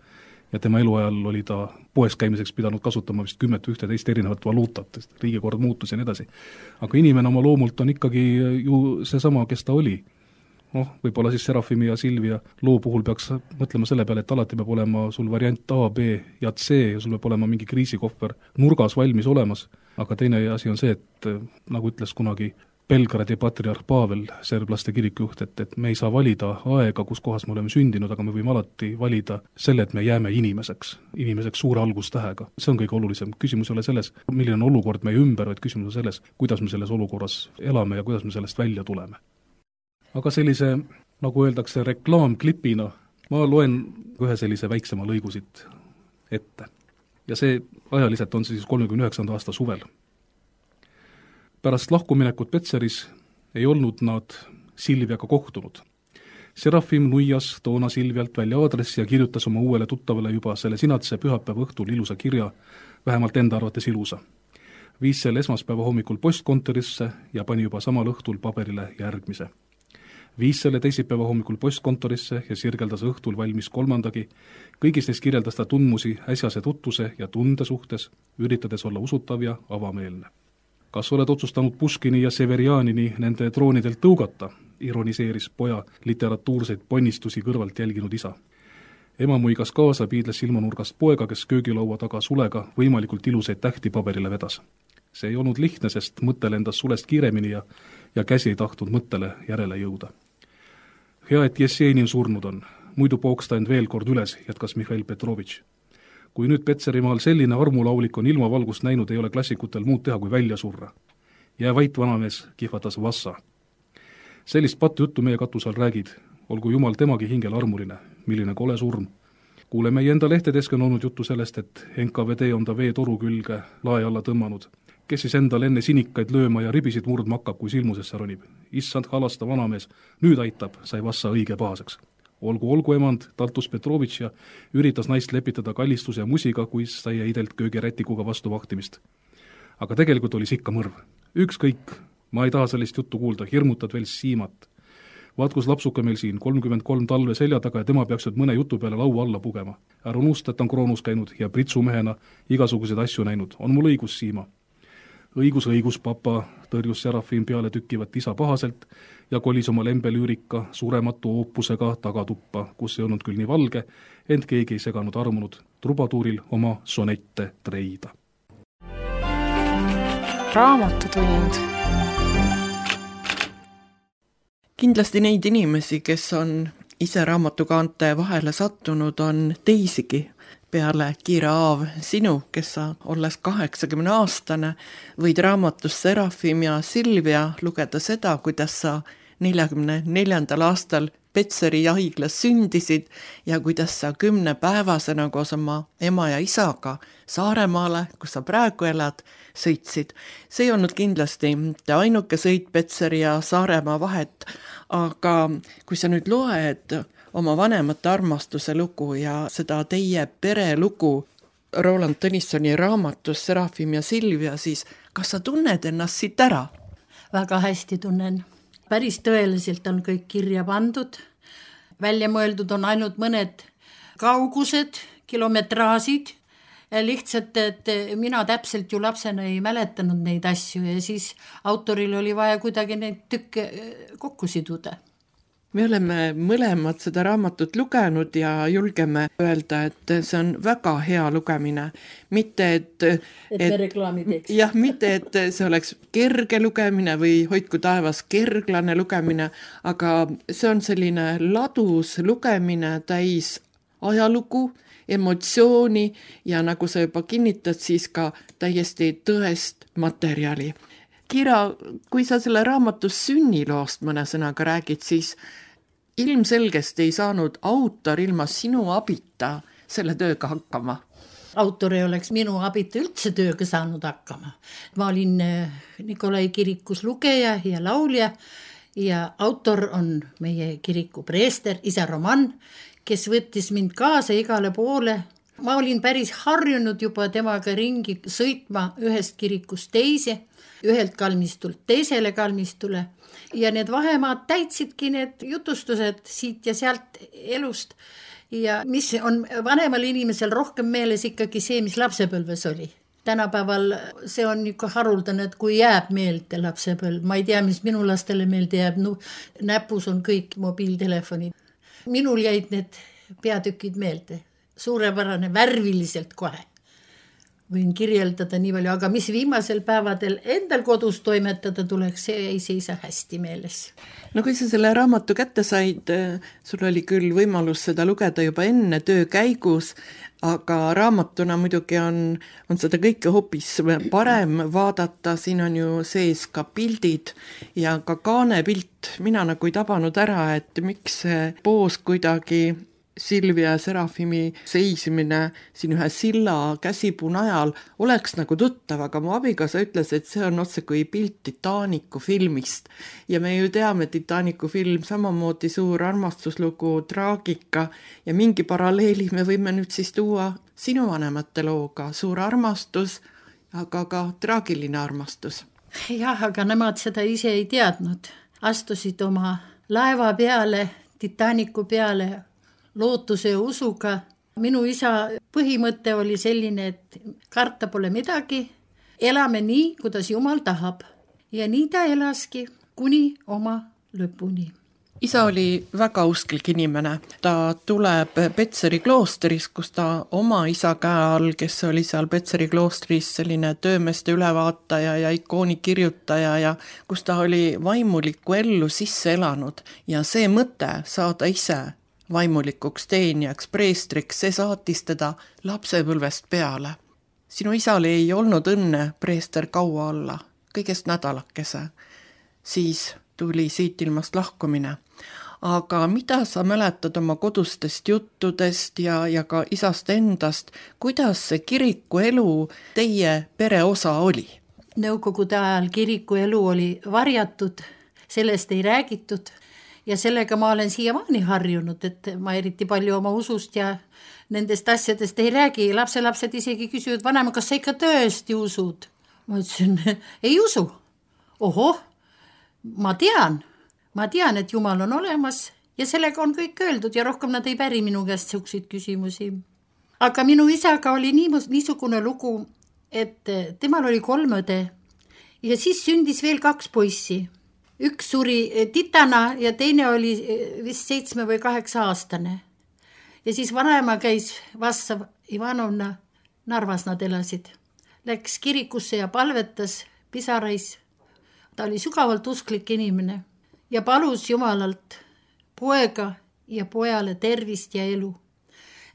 ja tema eluajal oli ta poes käimiseks pidanud kasutama vist kümmet või ühteteist erinevat valuutat, sest riigikord muutus ja nii edasi. aga inimene oma loomult on ikkagi ju seesama, kes ta oli. noh, võib-olla siis Serafimi ja Silvia loo puhul peaks mõtlema selle peale, et alati peab olema sul variant A, B ja C ja sul peab olema mingi kriisikohver nurgas valmis olemas, aga teine asi on see, et nagu ütles kunagi Belgradi patriarh Pavel, serblaste kirikujuht, et, et me ei saa valida aega, kus kohas me oleme sündinud, aga me võime alati valida selle, et me jääme inimeseks, inimeseks suure algustähega. see on kõige olulisem. Küsimus ei ole selles, milline on olukord meie ümber, vaid küsimus on selles, kuidas me selles olukorras elame ja kuidas me sellest välja tuleme. Aga sellise, nagu öeldakse, reklaamklipina ma loen ühe sellise väiksema lõigu siit ette. Ja see ajaliselt on siis kolmekümne üheksanda aasta suvel. Pärast lahkuminekut Petseris ei olnud nad Silviaga kohtunud. Serafim nuias toona Silvialt välja aadressi ja kirjutas oma uuele tuttavale juba selle sinatse pühapäeva õhtul ilusa kirja, vähemalt enda arvates ilusa. Viis selle esmaspäeva hommikul postkontorisse ja pani juba samal õhtul paberile järgmise. Viis selle teisipäeva hommikul postkontorisse ja sirgeldas õhtul valmis kolmandagi. Kõigis neis kirjeldas ta tundmusi äsjase tutvuse ja tunde suhtes, üritades olla usutav ja avameelne. Kas oled otsustanud Puškini ja Severianini nende troonidelt tõugata, ironiseeris poja literatuurseid ponnistusi kõrvalt jälginud isa. Ema muigas kaasa, piidles silmanurgast poega, kes köögilaua taga sulega võimalikult ilusaid tähti paberile vedas. See ei olnud lihtne, sest mõte lendas sulest kiiremini ja, ja käsi ei tahtnud mõttele järele jõuda. Hea, et Jessenin surnud on, muidu pooks ta end veel kord üles, jätkas Mihhail Petrovitš. Kui nüüd Petserimaal selline armulaulik on ilmavalgust näinud, ei ole klassikutel muud teha kui välja surra. Jää vait, vanamees, kihvatas Vassa. Sellist pattu juttu meie katusal räägid, olgu jumal temagi hingel armuline, milline kole surm. Kuule, meie enda lehtedeski on olnud juttu sellest, et N K V D on ta veetoru külge lae alla tõmmanud, kes siis endal enne sinikaid lööma ja ribisid murdma hakkab, kui silmusesse ronib. Issand halasta vanamees, nüüd aitab, sai Vassa õige pahaseks. Olgu, olgu emand, taltus Petrovitš ja üritas naist lepitada kallistuse ja musiga, kui sai eidelt köögirätikuga vastu vahtimist. Aga tegelikult oli sikka mõrv. Ükskõik, ma ei taha sellist juttu kuulda, hirmutad veel siimat. Vaat, kus lapsuke meil siin, kolmkümmend kolm talve selja taga ja tema peaks nüüd mõne jutu peale laua alla pugema. Ära unusta, et on kroonus käinud ja pritsumehena igasuguseid asju näinud. On mul õigus, Siima? Õigus, õigus, papa, tõrjus Serafim peale tükkivat isa pahaselt ja kolis oma lembelüürika surematu oopusega tagatuppa, kus ei olnud küll nii valge, ent keegi ei seganud armunud trubatuuril oma sonette treida. Raamatutund. Kindlasti neid inimesi, kes on ise raamatukaante vahele sattunud, on teisigi. Peale Kiira Aav, sinu, kes sa olles kaheksakümne aastane, võid raamatus Serafim ja Silvia lugeda seda, kuidas sa neljakümne neljandal aastal Petseri haiglas sündisid ja kuidas sa kümnepäevasena koos oma ema ja isaga Saaremaale, kus sa praegu elad, sõitsid. See ei olnud kindlasti mitte ainuke sõit Petseri ja Saaremaa vahet, aga kui sa nüüd loed oma vanemate armastuse lugu ja seda teie pere lugu Roland Tõnissoni raamatus Serafim ja Silvia, siis kas sa tunned ennast siit ära? Väga hästi tunnen. Päris tõeliselt on kõik kirja pandud. Välja mõeldud on ainult mõned kaugused, kilometraasid. Lihtsalt, et mina täpselt ju lapsena ei mäletanud neid asju ja siis autoril oli vaja kuidagi neid tükke kokku siduda. Me oleme mõlemad seda raamatut lugenud ja julgeme öelda, et see on väga hea lugemine. Mitte, et... Et, et me reklaami teeks. Jah, mitte, et see oleks kerge lugemine või hoidku taevas kerglane lugemine, aga see on selline ladus lugemine täis ajalugu, emotsiooni ja nagu sa juba kinnitad, siis ka täiesti tõest materjali. Kiira, kui sa selle raamatus sünniloost mõne sõnaga räägid, siis ilmselgest ei saanud autor ilma sinu abita selle tööga hakkama. Autor ei oleks minu abita üldse tööga saanud hakkama. Ma olin Nikolai kirikus lugeja ja laulja ja autor on meie kiriku preester, isa Roman, kes võttis mind kaasa igale poole. Ma olin päris harjunud juba temaga ringi sõitma ühest kirikust teise, ühelt kalmistult teisele kalmistule ja need vahemaad täitsidki need jutustused siit ja sealt elust ja mis on vanemal inimesel rohkem meeles ikkagi see, mis lapsepõlves oli. Tänapäeval see on ikka haruldane, et kui jääb meelde lapsepõlv, ma ei tea, mis minu lastele meelde jääb, no, näpus on kõik mobiiltelefonid. Minul jäid need peatükid meelde, suurepärane, värviliselt kohe. Võin kirjeldada nii palju, aga mis viimasel päevadel endal kodus toimetada tuleks, see ei seisa hästi meeles. No kui sa selle raamatu kätte said, sul oli küll võimalus seda lugeda juba enne töö käigus, aga raamatuna muidugi on, on seda kõike hoopis parem vaadata, siin on ju sees ka pildid ja ka kaanepilt. Mina nagu ei tabanud ära, et miks see poos kuidagi Silvia Serafimi seisimine siin ühe silla käsipuu najal oleks nagu tuttav, aga mu abikaasa ütles, et see on otse kui pilt Titanicu filmist. Ja me ju teame, Titanicu film samamoodi suur armastuslugu, traagika ja mingi paralleeli me võime nüüd siis tuua sinu vanemate looga, suur armastus, aga ka traagiline armastus. Jah, aga nemad seda ise ei teadnud. Astusid oma laeva peale, Titanicu peale, lootuse ja usuga. Minu isa põhimõte oli selline, et karta pole midagi, elame nii, kuidas Jumal tahab. Ja nii ta elaski kuni oma lõpuni. Isa oli väga usklik inimene. Ta tuleb Petseri kloosteris, kus ta oma isa käe all, kes oli seal Petseri kloostris selline töömeeste ülevaataja ja ikooni kirjutaja ja kus ta oli vaimulikku ellu sisse elanud. Ja see mõte saada ise vaimulikuks teenijaks, preestriks, see saatis teda lapsepõlvest peale. Sinu isal ei olnud õnne preester kaua olla, kõigest nädalakese. Siis tuli siit ilmast lahkumine. Aga mida sa mäletad oma kodustest juttudest ja, ja ka isast endast, kuidas see kiriku elu teie pere osa oli? Nõukogude ajal kiriku elu oli varjatud, sellest ei räägitud. Ja sellega ma olen siiamaani harjunud, et ma eriti palju oma usust ja nendest asjadest ei räägi. Lapselapsed isegi küsivad, vanema, kas sa ikka tõesti usud? Ma ütlesin, ei usu. Oho, ma tean. Ma tean, et Jumal on olemas ja sellega on kõik öeldud ja rohkem nad ei päri minu käest selliseid küsimusi. Aga minu isaga oli niisugune lugu, et temal oli kolm õde ja siis sündis veel kaks poissi. Üks suri titana ja teine oli vist seitsme või kaheksa aastane. Ja siis vanaema käis Vassav Ivanovna, Narvas nad elasid. Läks kirikusse ja palvetas pisarais. Ta oli sügavalt usklik inimene ja palus Jumalalt poega ja pojale tervist ja elu.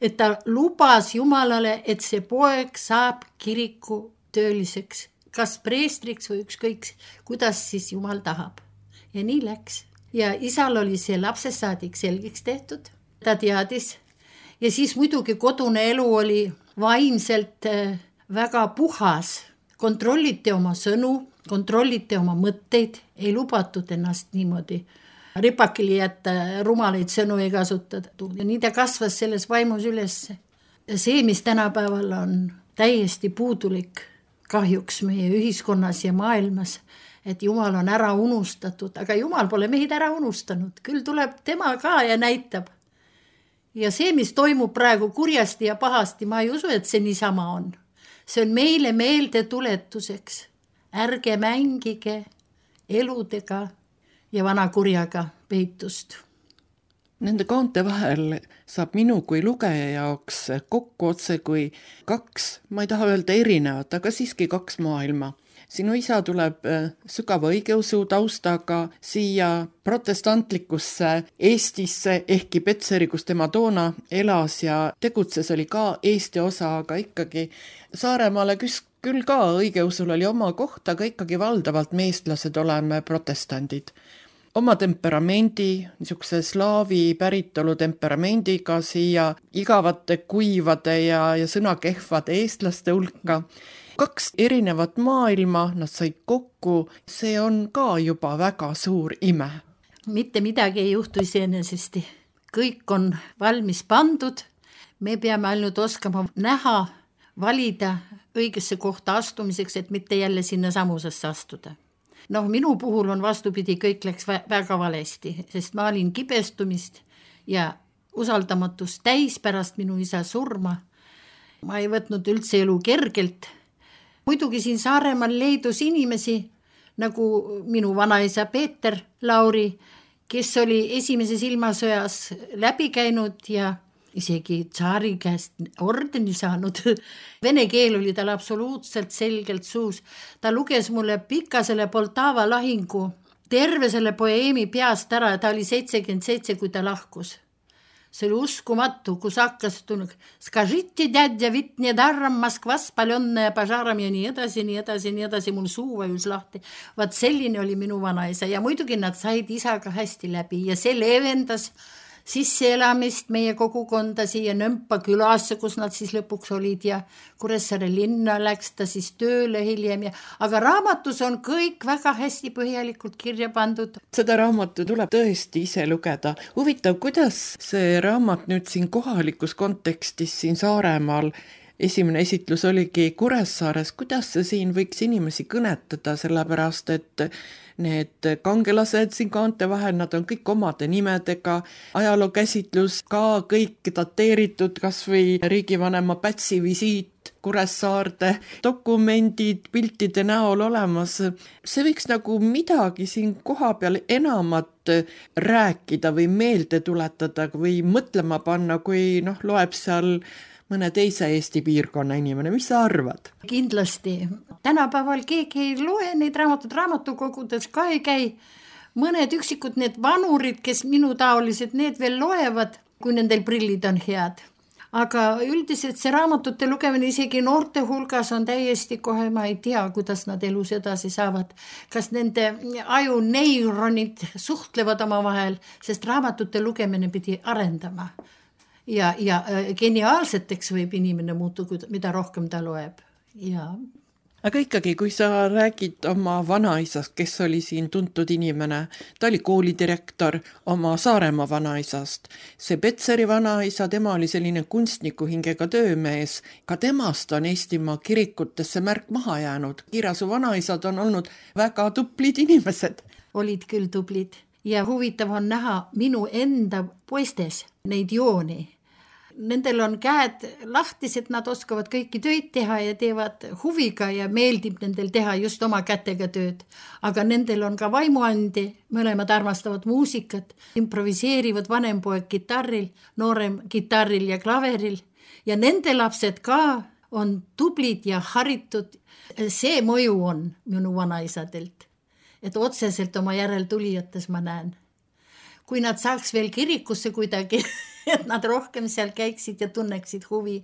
Et ta lubas Jumalale, et see poeg saab kiriku tööliseks, kas preestriks või ükskõik, kuidas siis Jumal tahab. Ja nii läks. Ja isal oli see lapsesaadik selgeks tehtud. Ta teadis. Ja siis muidugi kodune elu oli vaimselt väga puhas. Kontrollite oma sõnu, kontrollite oma mõtteid, ei lubatud ennast niimoodi ripakili jätta, rumalaid sõnu ei kasutada. Ja nii ta kasvas selles vaimus üles. See, mis tänapäeval on täiesti puudulik kahjuks meie ühiskonnas ja maailmas, et Jumal on ära unustatud, aga Jumal pole meid ära unustanud. Küll tuleb tema ka ja näitab. Ja see, mis toimub praegu kurjasti ja pahasti, ma ei usu, et see niisama on. See on meile meelde tuletuseks. Ärge mängige eludega ja vana kurjaga peitust. Nende kaante vahel saab minu kui lugeja jaoks kokku otse kui kaks, ma ei taha öelda erinevat, aga siiski kaks maailma. Sinu isa tuleb sügava õigeusu taustaga siia protestantlikusse Eestisse, ehkki Petseri, kus tema toona elas ja tegutses, oli ka Eesti osa, aga ikkagi Saaremaale küll ka õigeusul oli oma koht, aga ikkagi valdavalt meestlased oleme protestandid. Oma temperamendi, niisuguse slaavi päritolu temperamendiga siia igavate kuivade ja, ja sõnakehvade eestlaste hulka. Kaks erinevat maailma, nad said kokku, see on ka juba väga suur ime. Mitte midagi ei juhtu iseenesesti. Kõik on valmis pandud, me peame ainult oskama näha, valida õigesse kohta astumiseks, et mitte jälle sinna samusesse astuda. Noh, minu puhul on vastupidi, kõik läks väga valesti, sest ma olin kibestumist ja usaldamatus täis pärast minu isa surma. Ma ei võtnud üldse elu kergelt. Muidugi siin Saaremaal leidus inimesi, nagu minu vanaisa Peeter Lauri, kes oli esimeses ilmasõjas läbi käinud ja isegi tsaari käest ordeni saanud. Vene keel oli tal absoluutselt selgelt suus. Ta luges mulle pika selle Poltava lahingu, terve selle poeemi peast ära ja ta oli seitsekümmend seitse, kui ta lahkus. See oli uskumatu, kus hakkas tunnud, skažiti dядя, vit nedarram Moskvas paljonna ja pažaram ja nii edasi, nii edasi, nii edasi, mul suu vajus lahti. Vaat selline oli minu vanaisa ja muidugi nad said isaga hästi läbi ja see leevendas sisseelamist meie kogukonda siia Nõmpa külasse, kus nad siis lõpuks olid ja Kuressaare linna läks ta siis tööle hiljem. Ja, aga raamatus on kõik väga hästi põhjalikult kirja pandud. Seda raamatu tuleb tõesti ise lugeda. Huvitav, kuidas see raamat nüüd siin kohalikus kontekstis siin Saaremaal, esimene esitlus oligi Kuressaares, kuidas see siin võiks inimesi kõnetada, sellepärast et need kangelased siin kaante vahel, nad on kõik omade nimedega, ajaloo käsitlus ka kõik dateeritud, kas või riigivanema Pätsi visiit Kuressaarde, dokumendid piltide näol olemas. See võiks nagu midagi siin koha peal enamat rääkida või meelde tuletada või mõtlema panna, kui noh, loeb seal mõne teise Eesti piirkonna inimene. Mis sa arvad? Kindlasti. Tänapäeval keegi ei loe neid raamatud, raamatukogudes ka ei käi. Mõned üksikud need vanurid, kes minu taolised, need veel loevad, kui nendel prillid on head. Aga üldiselt see raamatute lugemine isegi noorte hulgas on täiesti kohe, ma ei tea, kuidas nad elus edasi saavad. Kas nende aju neironid suhtlevad oma vahel, sest raamatute lugemine pidi arendama. Ja, ja geniaalseteks võib inimene muutu, mida rohkem ta loeb. Ja. Aga ikkagi, kui sa räägid oma vanaisast, kes oli siin tuntud inimene, ta oli koolidirektor oma Saaremaa vanaisast. See Petseri vanaisa, tema oli selline kunstniku hingega töömees. Ka temast on Eestimaa kirikutesse märk maha jäänud. Kiirasu vanaisad on olnud väga tublid inimesed. Olid küll tublid. Ja huvitav on näha minu enda poistes neid jooni. Nendel on käed lahtised, nad oskavad kõiki tööd teha ja teevad huviga ja meeldib nendel teha just oma kätega tööd. Aga nendel on ka vaimuandi, mõlemad armastavad muusikat, improviseerivad vanem poeg kitarril, noorem kitarril ja klaveril. Ja nende lapsed ka on tublid ja haritud. See mõju on minu vanaisadelt, et otseselt oma järeltulijates ma näen. Kui nad saaks veel kirikusse kuidagi, et nad rohkem seal käiksid ja tunneksid huvi.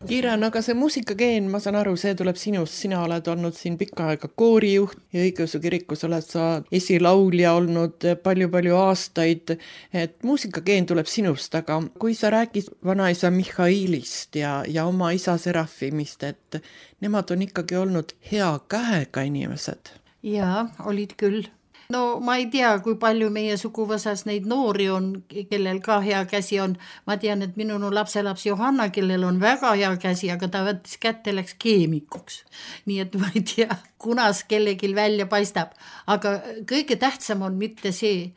Kiiran, aga see muusikageen, ma saan aru, see tuleb sinust. Sina oled olnud siin pikka aega koorijuht ja õigeusu kirikus oled sa esilaulja olnud palju-palju aastaid. Et muusikageen tuleb sinust, aga kui sa räägid vanaisa Mihhailist ja, ja oma isa Serafimist, et nemad on ikkagi olnud hea käega inimesed. Jaa, olid küll. No ma ei tea, kui palju meie suguvõsas neid noori on, kellel ka hea käsi on. Ma tean, et minu lapselaps Johanna, kellel on väga hea käsi, aga ta võttis kätte, läks keemikuks. Nii et ma ei tea, kunas kellegil välja paistab. Aga kõige tähtsam on mitte see,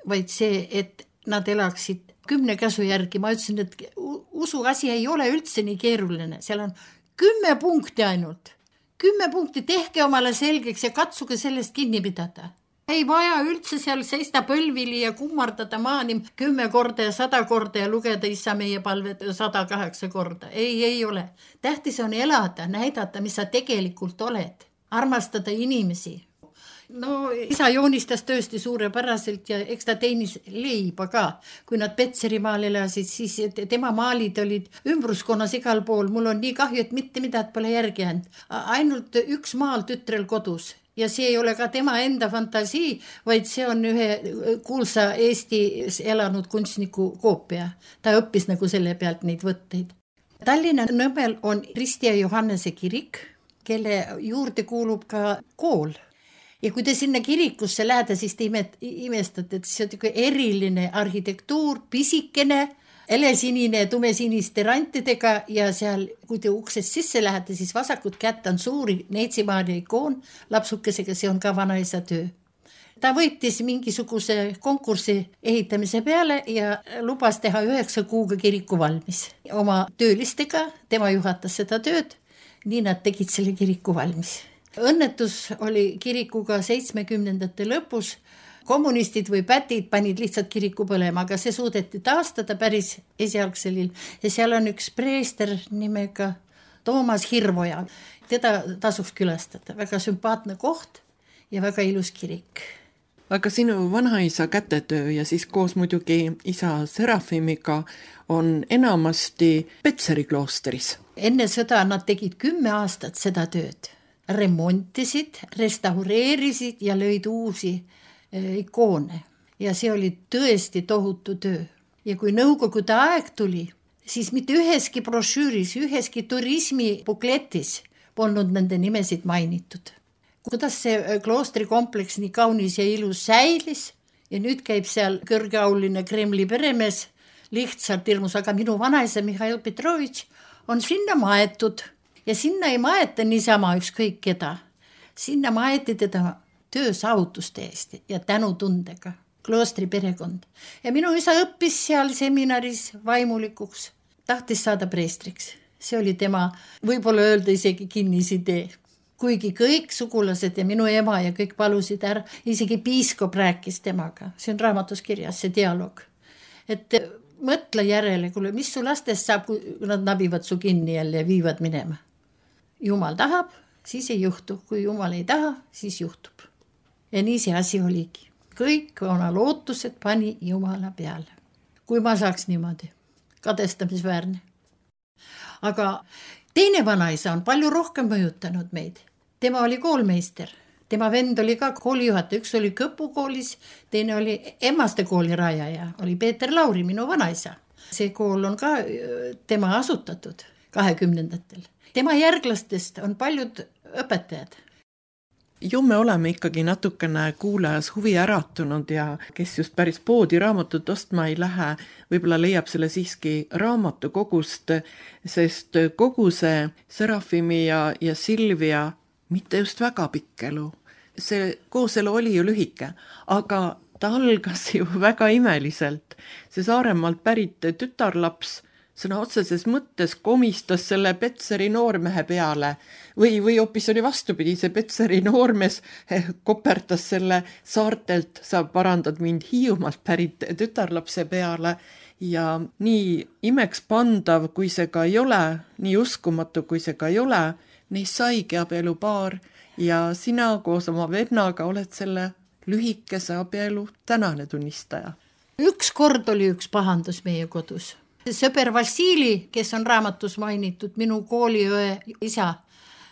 vaid see, et nad elaksid kümne käsu järgi. Ma ütlesin, et usu asi ei ole üldse nii keeruline. Seal on kümme punkti ainult. Kümme punkti, tehke omale selgeks ja katsuge sellest kinni pidada. Ei vaja üldse seal seista põlvili ja kummardada maani kümme korda ja sada korda ja lugeda isa meie palved sada kaheksa korda. Ei, ei ole. Tähtis on elada, näidata, mis sa tegelikult oled. Armastada inimesi. No isa joonistas tõesti suurepäraselt ja eks ta teenis leiba ka. Kui nad Petserimaal elasid, siis tema maalid olid ümbruskonnas igal pool. Mul on nii kahju, et mitte midagi pole järgi jäänud. Ainult üks maal tütrel kodus. Ja see ei ole ka tema enda fantasii, vaid see on ühe kuulsa Eestis elanud kunstniku koopia. Ta õppis nagu selle pealt neid võtteid. Tallinna Nõmmel on Risti ja Johannese kirik, kelle juurde kuulub ka kool. Ja kui te sinna kirikusse lähete, siis te imestate, et see on eriline arhitektuur, pisikene, helesinine ja tumesiniste rantidega ja seal, kui te uksest sisse lähete, siis vasakut kätt on suuri Neetsimaani ikoon lapsukesega, see on ka vanaisa töö. ta võitis mingisuguse konkursi ehitamise peale ja lubas teha üheksa kuuga kiriku valmis. Oma töölistega, tema juhatas seda tööd, nii nad tegid selle kiriku valmis. Õnnetus oli kirikuga seitsmekümnendate lõpus, kommunistid või pätid panid lihtsalt kiriku põlema, aga see suudeti taastada päris esialgsel ja seal on üks preester nimega Toomas Hirvoja. Teda tasuks külastada, väga sümpaatne koht ja väga ilus kirik. Aga sinu vanaisa kätetöö ja siis koos muidugi isa Serafimiga on enamasti Petseri kloosteris. Enne sõda nad tegid kümme aastat seda tööd. Remontisid, restaureerisid ja lõid uusi ikoone ja see oli tõesti tohutu töö. Ja kui Nõukogude aeg tuli, siis mitte üheski brošüüris, üheski turismibukletis polnud nende nimesid mainitud. Kuidas see kloostrikompleks nii kaunis ja ilus säilis ja nüüd käib seal kõrgeauline Kremli peremees lihtsalt hirmus, aga minu vanaisa Mihhail Petrovitš on sinna maetud ja sinna ei maeta niisama ükskõik keda. Sinna maeti teda töösaavutuste eest ja tänutundega, kloostri perekond. Ja minu isa õppis seal seminaris vaimulikuks, tahtis saada preestriks. See oli tema, võib-olla öelda isegi kinnisidee. Kuigi kõik sugulased ja minu ema ja kõik palusid ära, isegi piiskop rääkis temaga. See on raamatus kirjas, see dialoog. Et mõtle järele, kuule, mis su lastest saab, kui nad nabivad su kinni jälle ja viivad minema. Jumal tahab, siis ei juhtu. Kui Jumal ei taha, siis juhtub. Ja nii see asi oligi. Kõik oma lootused pani Jumala peale. Kui ma saaks niimoodi. Kadestamisväärne. Aga teine vanaisa on palju rohkem mõjutanud meid. Tema oli koolmeister. Tema vend oli ka koolijuhataja. Üks oli Kõpu koolis, teine oli Emmaste kooli rajaja. Oli Peeter Lauri, minu vanaisa. See kool on ka tema asutatud kahekümnendatel. Tema järglastest on paljud õpetajad. Ju me oleme ikkagi natukene kuulajas huvi äratunud ja kes just päris poodi raamatut ostma ei lähe, võib-olla leiab selle siiski raamatukogust, sest kogu see Serafimi ja, ja Silvia mitte just väga pikk elu. See kooselu oli ju lühike, aga ta algas ju väga imeliselt. See Saaremaalt pärit tütarlaps sõna otseses mõttes komistas selle Petseri noormehe peale või, või hoopis oli vastupidi, see Petseri noormees kopertas selle saartelt, sa parandad mind Hiiumaalt pärit tütarlapse peale ja nii imeks pandav, kui see ka ei ole, nii uskumatu, kui see ka ei ole, neist saigi abielupaar ja sina koos oma vennaga oled selle lühikese abielu tänane tunnistaja. Üks kord oli üks pahandus meie kodus. Sõber Vassili, kes on raamatus mainitud, minu kooliõe isa.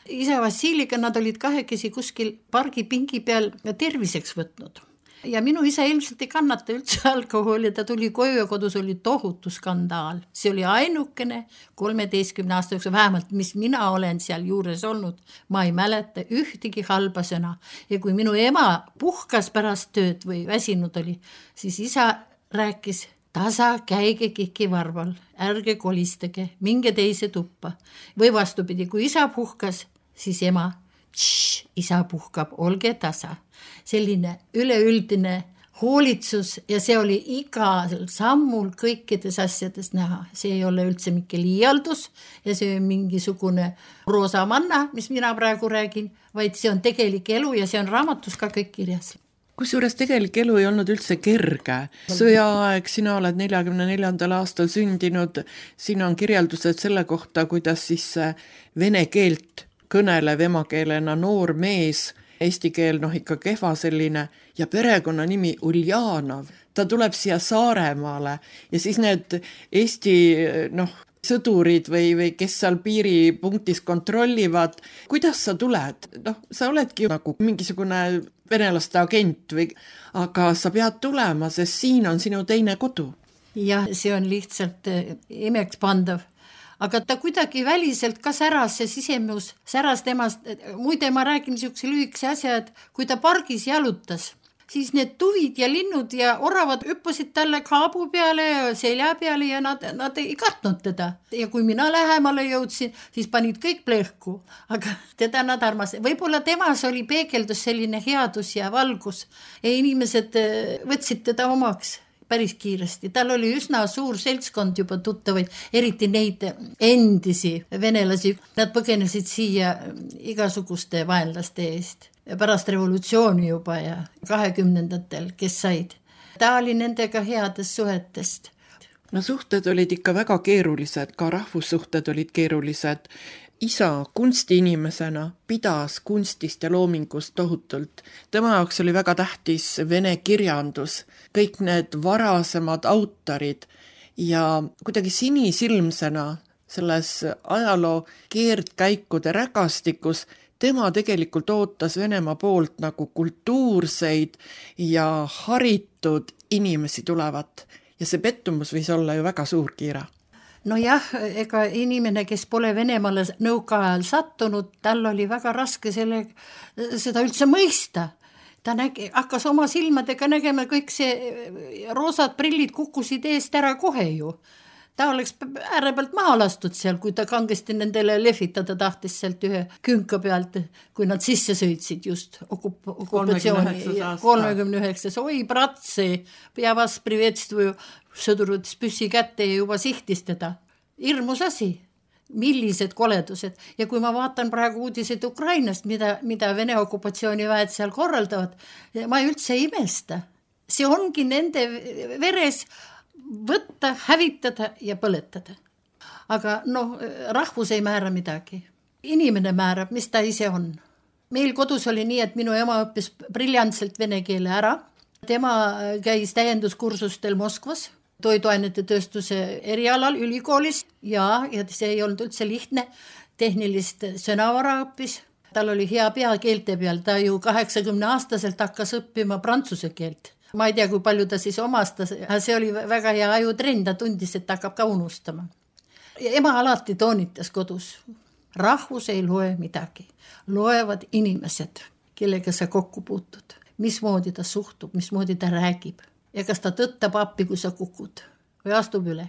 Isa Vassiliga nad olid kahekesi kuskil pargi pingi peal terviseks võtnud. Ja minu isa ilmselt ei kannata üldse alkoholi, ta tuli koju ja kodus oli tohutu skandaal. See oli ainukene kolmeteistkümne aasta jooksul, vähemalt mis mina olen seal juures olnud. Ma ei mäleta ühtegi halba sõna. Ja kui minu ema puhkas pärast tööd või väsinud oli, siis isa rääkis tasa käige Kiki varval, ärge kolistage, minge teise tuppa. Või vastupidi, kui isa puhkas, siis ema, tš, isa puhkab, olge tasa. Selline üleüldine hoolitsus ja see oli igal sammul kõikides asjades näha. See ei ole üldse mingi liialdus ja see on mingisugune roosa manna, mis mina praegu räägin, vaid see on tegelik elu ja see on raamatus ka kõik kirjas. Kusjuures tegelik elu ei olnud üldse kerge. Sõjaaeg, sina oled neljakümne neljandal aastal sündinud, siin on kirjeldused selle kohta, kuidas siis vene keelt kõnelev emakeelena noor mees, eesti keel noh ikka kehva selline ja perekonna nimi Uljanov. Ta tuleb siia Saaremaale ja siis need Eesti noh, sõdurid või, või kes seal piiripunktis kontrollivad, kuidas sa tuled? Noh, sa oledki nagu mingisugune venelaste agent, või, aga sa pead tulema, sest siin on sinu teine kodu. Jah, see on lihtsalt imeks pandav. Aga ta kuidagi väliselt ka säras, see sisemus säras temast. Muide, ma räägin niisuguse lühikese asja, et kui ta pargis jalutas, siis need tuvid ja linnud ja oravad hüppasid talle kaabu peale ja selja peale ja nad, nad ei kartnud teda. Ja kui mina lähemale jõudsin, siis panid kõik plehku, aga teda nad armasid. Võib-olla temas oli peegeldus selline headus ja valgus ja inimesed võtsid teda omaks päris kiiresti. Tal oli üsna suur seltskond juba tuttavaid, eriti neid endisi venelasi. Nad põgenesid siia igasuguste vaenlaste eest. Pärast revolutsiooni juba ja kahekümnendatel, kes said. Ta oli nendega headest suhetest. No suhted olid ikka väga keerulised, ka rahvussuhted olid keerulised. Isa kunstiinimesena pidas kunstist ja loomingust tohutult. Tema jaoks oli väga tähtis vene kirjandus, kõik need varasemad autorid ja kuidagi sinisilmsena selles ajaloo keerdkäikude rägastikus tema tegelikult ootas Venemaa poolt nagu kultuurseid ja haritud inimesi tulevat ja see pettumus võis olla ju väga suur, Kiira. No jah, ega inimene, kes pole Venemaale nõukaajal sattunud, tal oli väga raske selle, seda üldse mõista. Ta nägi, hakkas oma silmadega nägema, kõik see roosad prillid kukkusid eest ära kohe ju. Ta oleks ääre pealt maha lastud seal, kui ta kangesti nendele lehvitada tahtis sealt ühe künka pealt, kui nad sisse sõitsid just okup- okupatsiooni kolmekümne üheksas. Oi, bratse, ja vas privetstvuju, sõdurud püssi kätte ja juba sihtis teda. Hirmus asi, millised koledused. Ja kui ma vaatan praegu uudiseid Ukrainast, mida, mida Vene okupatsiooniväed seal korraldavad, ma üldse ei imesta. See ongi nende veres võtta, hävitada ja põletada. Aga noh, rahvus ei määra midagi. Inimene määrab, mis ta ise on. Meil kodus oli nii, et minu ema õppis briljantselt vene keele ära. Tema käis täienduskursustel Moskvas, toiduainete tööstuse erialal ülikoolis ja, ja see ei olnud üldse lihtne, tehnilist sõnavara õppis. Tal oli hea pea keelte peal, ta ju kaheksakümne aastaselt hakkas õppima prantsuse keelt. Ma ei tea, kui palju ta siis omastas, see oli väga hea ajutrenn, ta tundis, et ta hakkab ka unustama. Ja ema alati toonitas kodus, rahvus ei loe midagi, loevad inimesed, kellega sa kokku puutud, mismoodi ta suhtub, mismoodi ta räägib ja kas ta tõttab appi, kui sa kukud või astub üle.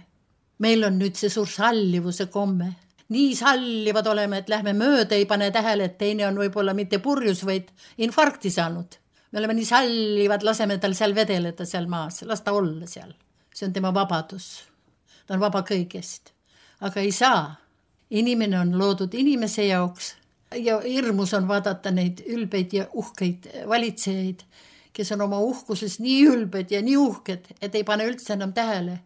Meil on nüüd see suur sallivuse komme, nii sallivad oleme, et lähme mööda, ei pane tähele, et teine on võib-olla mitte purjus, vaid infarkti saanud. Me oleme nii sallivad, laseme tal seal vedeleda seal maas, las ta olla seal. See on tema vabadus. Ta on vaba kõigest. Aga ei saa. Inimene on loodud inimese jaoks ja hirmus on vaadata neid ülbeid ja uhkeid valitsejaid, kes on oma uhkuses nii ülbed ja nii uhked, et ei pane üldse enam tähele,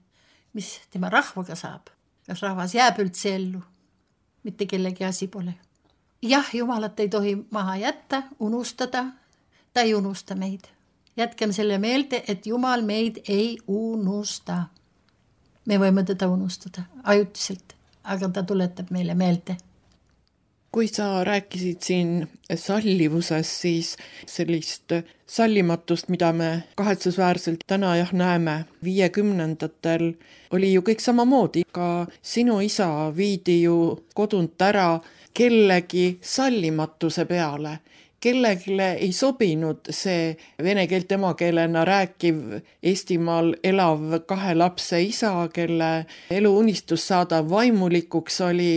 mis tema rahvaga saab. Kas rahvas jääb üldse ellu? Mitte kellegi asi pole. Jah, Jumalat ei tohi maha jätta, unustada. Ta ei unusta meid. Jätkem selle meelde, et Jumal meid ei unusta. Me võime teda unustada ajutiselt, aga ta tuletab meile meelde. Kui sa rääkisid siin sallivusest, siis sellist sallimatust, mida me kahetsusväärselt täna jah näeme, viiekümnendatel oli ju kõik samamoodi. Ka sinu isa viidi ju kodunt ära kellegi sallimatuse peale. Kellegile ei sobinud see vene keelt emakeelena rääkiv Eestimaal elav kahe lapse isa, kelle eluunistus saada vaimulikuks oli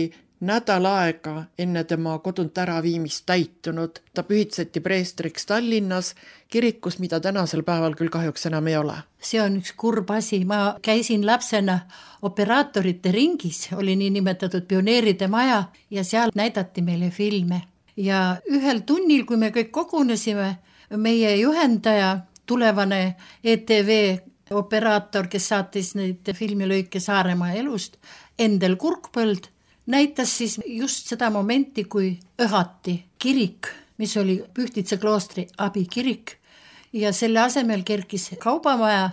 nädal aega enne tema kodunt ära viimist täitunud. Ta pühitseti preestriks Tallinnas kirikus, mida tänasel päeval küll kahjuks enam ei ole. See on üks kurb asi. Ma käisin lapsena operaatorite ringis, oli nii nimetatud pioneeride maja ja seal näidati meile filme. Ja ühel tunnil, kui me kõik kogunesime, meie juhendaja, tulevane E T V operaator, kes saatis neid filmilõike Saaremaa elust, Endel Kurkpõld, näitas siis just seda momenti, kui õhati kirik, mis oli Pühtitsa kloostri abikirik ja selle asemel kerkis kaubamaja,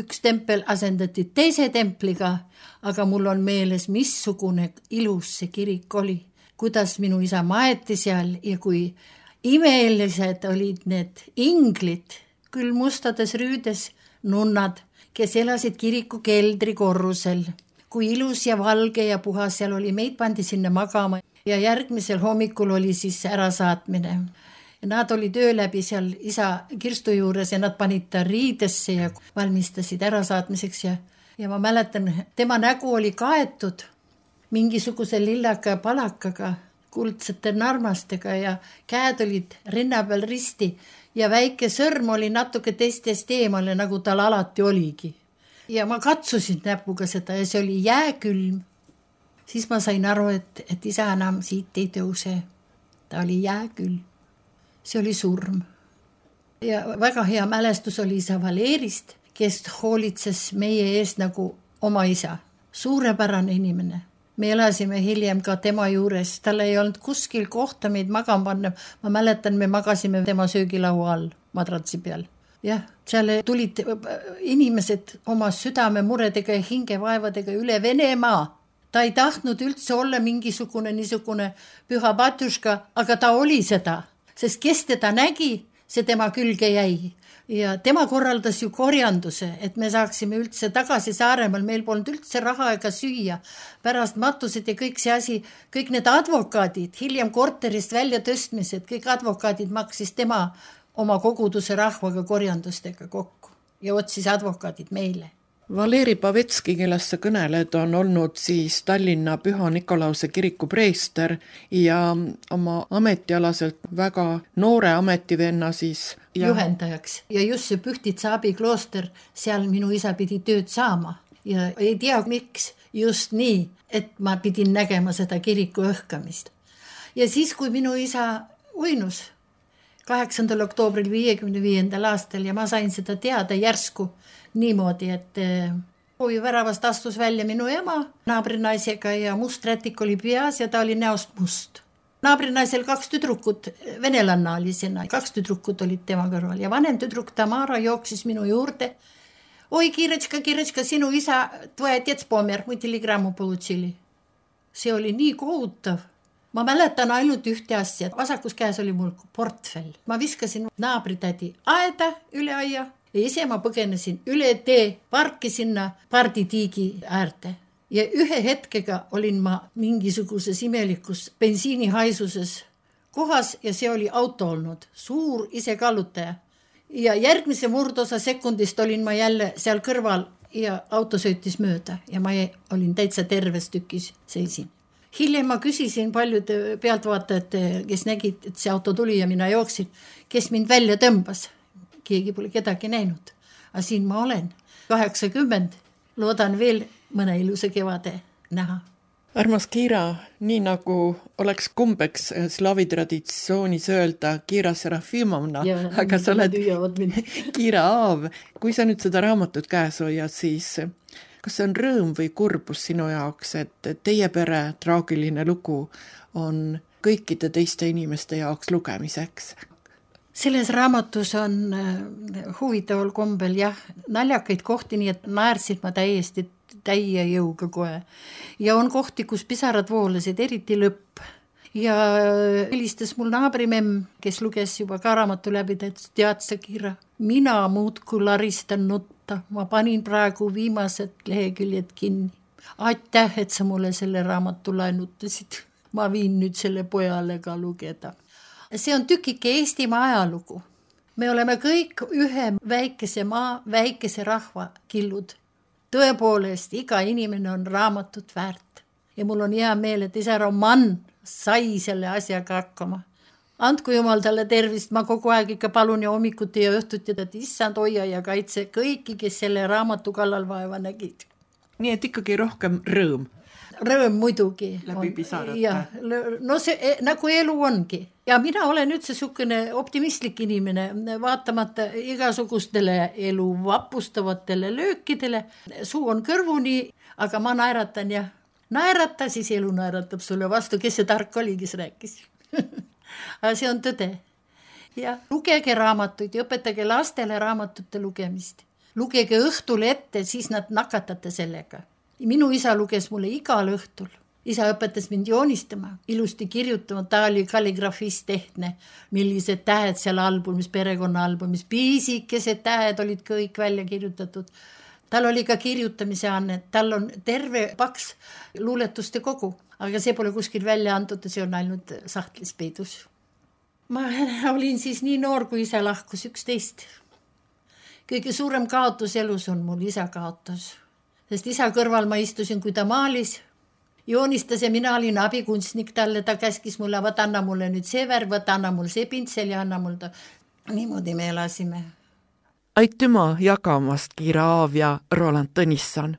üks tempel asendati teise templiga, aga mul on meeles, missugune ilus see kirik oli. Kuidas minu isa maeti seal ja kui imelised olid need inglid, küll mustades rüüdes nunnad, kes elasid kiriku keldri korrusel. Kui ilus ja valge ja puhas seal oli, meid pandi sinna magama ja järgmisel hommikul oli siis ärasaatmine. Nad oli töö läbi seal isa kirstu juures ja nad panid ta riidesse ja valmistasid ärasaatmiseks ja, ja ma mäletan, tema nägu oli kaetud mingisuguse lillaka palakaga, kuldsete narmastega ja käed olid rinna peal risti ja väike sõrm oli natuke teistest eemale, nagu tal alati oligi. Ja ma katsusin näpuga seda ja see oli jääkülm. Siis ma sain aru, et, et isa enam siit ei tõuse. Ta oli jääkülm. See oli surm. Ja väga hea mälestus oli isa Valerist, kes hoolitses meie ees nagu oma isa. Suurepärane inimene. Me elasime hiljem ka tema juures. Tal ei olnud kuskil kohta meid magama panna. Ma mäletan, me magasime tema söögilaua all madratsi peal. Jah, seal tulid inimesed oma südame muredega ja hingevaevadega üle Venemaa. Ta ei tahtnud üldse olla mingisugune niisugune püha patjuška, aga ta oli seda. Sest kes teda nägi, see tema külge jäi. Ja tema korraldas ju korjanduse, et me saaksime üldse tagasi Saaremaal. Meil polnud üldse raha ega süüa. Pärast matused ja kõik see asi, kõik need advokaadid, hiljem korterist välja tõstmised, kõik advokaadid maksis tema oma koguduse rahvaga korjandustega kokku ja otsis advokaadid meile. Valeri Pavetski, kellest sa kõneled, on olnud siis Tallinna Püha Nikolause kiriku preester ja oma ametialaselt väga noore ametivenna siis ja... juhendajaks. Ja just see Pühtitsa abiklooster, seal minu isa pidi tööd saama ja ei tea miks just nii, et ma pidin nägema seda kiriku õhkamist. Ja siis, kui minu isa uinus kaheksandal oktoobril viiekümne viiendal aastal ja ma sain seda teada järsku niimoodi, et hoovi väravast astus välja minu ema naabrinaisega ja must rätik oli peas ja ta oli näost must. Naabrinaisel kaks tüdrukut, venelanna oli sinna, kaks tüdrukut olid tema kõrval ja vanem tüdruk Tamara jooksis minu juurde. Oi, Kirečka, Kirečka, sinu isa, tvoja otец помер, мы телеграмму получили. See oli nii kohutav. Ma mäletan ainult ühte asja. Vasakus käes oli mul portfell. Ma viskasin naabritädi aeda üle aia ja ise ma põgenesin üle tee parki sinna parditiigi äärte. Ja ühe hetkega olin ma mingisuguses imelikus bensiinihaisuses kohas ja see oli auto olnud. Suur ise kallutaja. Ja järgmise murdosa sekundist olin ma jälle seal kõrval ja auto sõitis mööda ja ma olin täitsa terves tükis seisin. Hiljem ma küsisin paljude pealtvaatajate, kes nägid, et see auto tuli ja mina jooksin, kes mind välja tõmbas. Keegi pole kedagi näinud. Aga siin ma olen. kaheksakümmend. Loodan veel mõne ilusa kevade näha. Armas Kiira, nii nagu oleks kumbeks slaavi traditsioonis öelda Kiira Serafimovna, ja, aga sa oled Kiira Aav. Kui sa nüüd seda raamatut käes hoiad, siis kas see on rõõm või kurbus sinu jaoks, et teie pere traagiline lugu on kõikide teiste inimeste jaoks lugemiseks? Selles raamatus on huvitaval kombel jah, naljakaid kohti, nii et naersid ma täiesti täie jõuga kohe. Ja on kohti, kus pisarad voolasid, eriti lõpp. Ja helistas mul naabrimemm, kes luges juba ka raamatu läbi, et tead sa, Kiira, mina muudku laristan nutta. Ma panin praegu viimased leheküljed kinni. Aitäh, et sa mulle selle raamatu laenutasid. Ma viin nüüd selle pojale ka lugeda. See on tükike Eestimaa ajalugu. Me oleme kõik ühe väikese maa, väikese rahva killud. Tõepoolest, iga inimene on raamatut väärt. Ja mul on hea meel, et isa Roman sai selle asjaga hakkama. Andku jumal talle tervist, ma kogu aeg ikka palun ja hommikuti ja õhtuti, et issand hoia ja kaitse kõiki, kes selle raamatu kallal vaeva nägid. Nii et ikkagi rohkem rõõm. Rõõm muidugi. Läbi pisarate. Ja, no see nagu elu ongi. Ja mina olen üldse sukene optimistlik inimene, vaatamata igasugustele elu vapustavatele löökidele. Suu on kõrvuni, aga ma naeratan ja naerata, siis elu naeratab sulle vastu, kes see tark oli, kes rääkis. Aga see on tõde. Ja lugege raamatuid ja õpetage lastele raamatute lugemist. Lugege õhtul ette, siis nad nakatate sellega. Minu isa luges mulle igal õhtul. Isa õpetas mind joonistama, ilusti kirjutama, ta oli kalligrafist tehtne, millised tähed seal albumis, perekonna albumis, piisikesed tähed olid kõik välja kirjutatud. Tal oli ka kirjutamise anne, tal on terve paks luuletuste kogu, aga see pole kuskil välja antud, see on ainult sahtlis peidus. ma olin siis nii noor, kui isa lahkus, üksteist. Kõige suurem kaotus elus on mul isa kaotus. Sest isa kõrval ma istusin, kui ta maalis, joonistas ja mina olin abikunstnik talle, ta käskis mulle, võt anna mulle nüüd see värv, võt anna mul see pintsel ja anna mul ta. Niimoodi me elasime. Aitüma jagamast Kiira Aav ja Roland Tõnisson.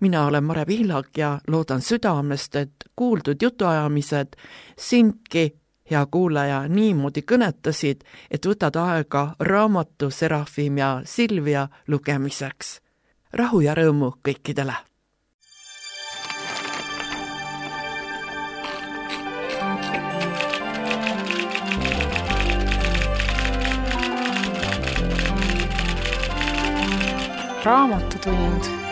Mina olen Mare Pihlak ja loodan südamest, et kuuldud jutuajamised sindki, hea kuulaja, niimoodi kõnetasid, et võtad aega raamatu Serafim ja Silvia lugemiseks. Rahu ja rõõmu kõikidele! Raamatutund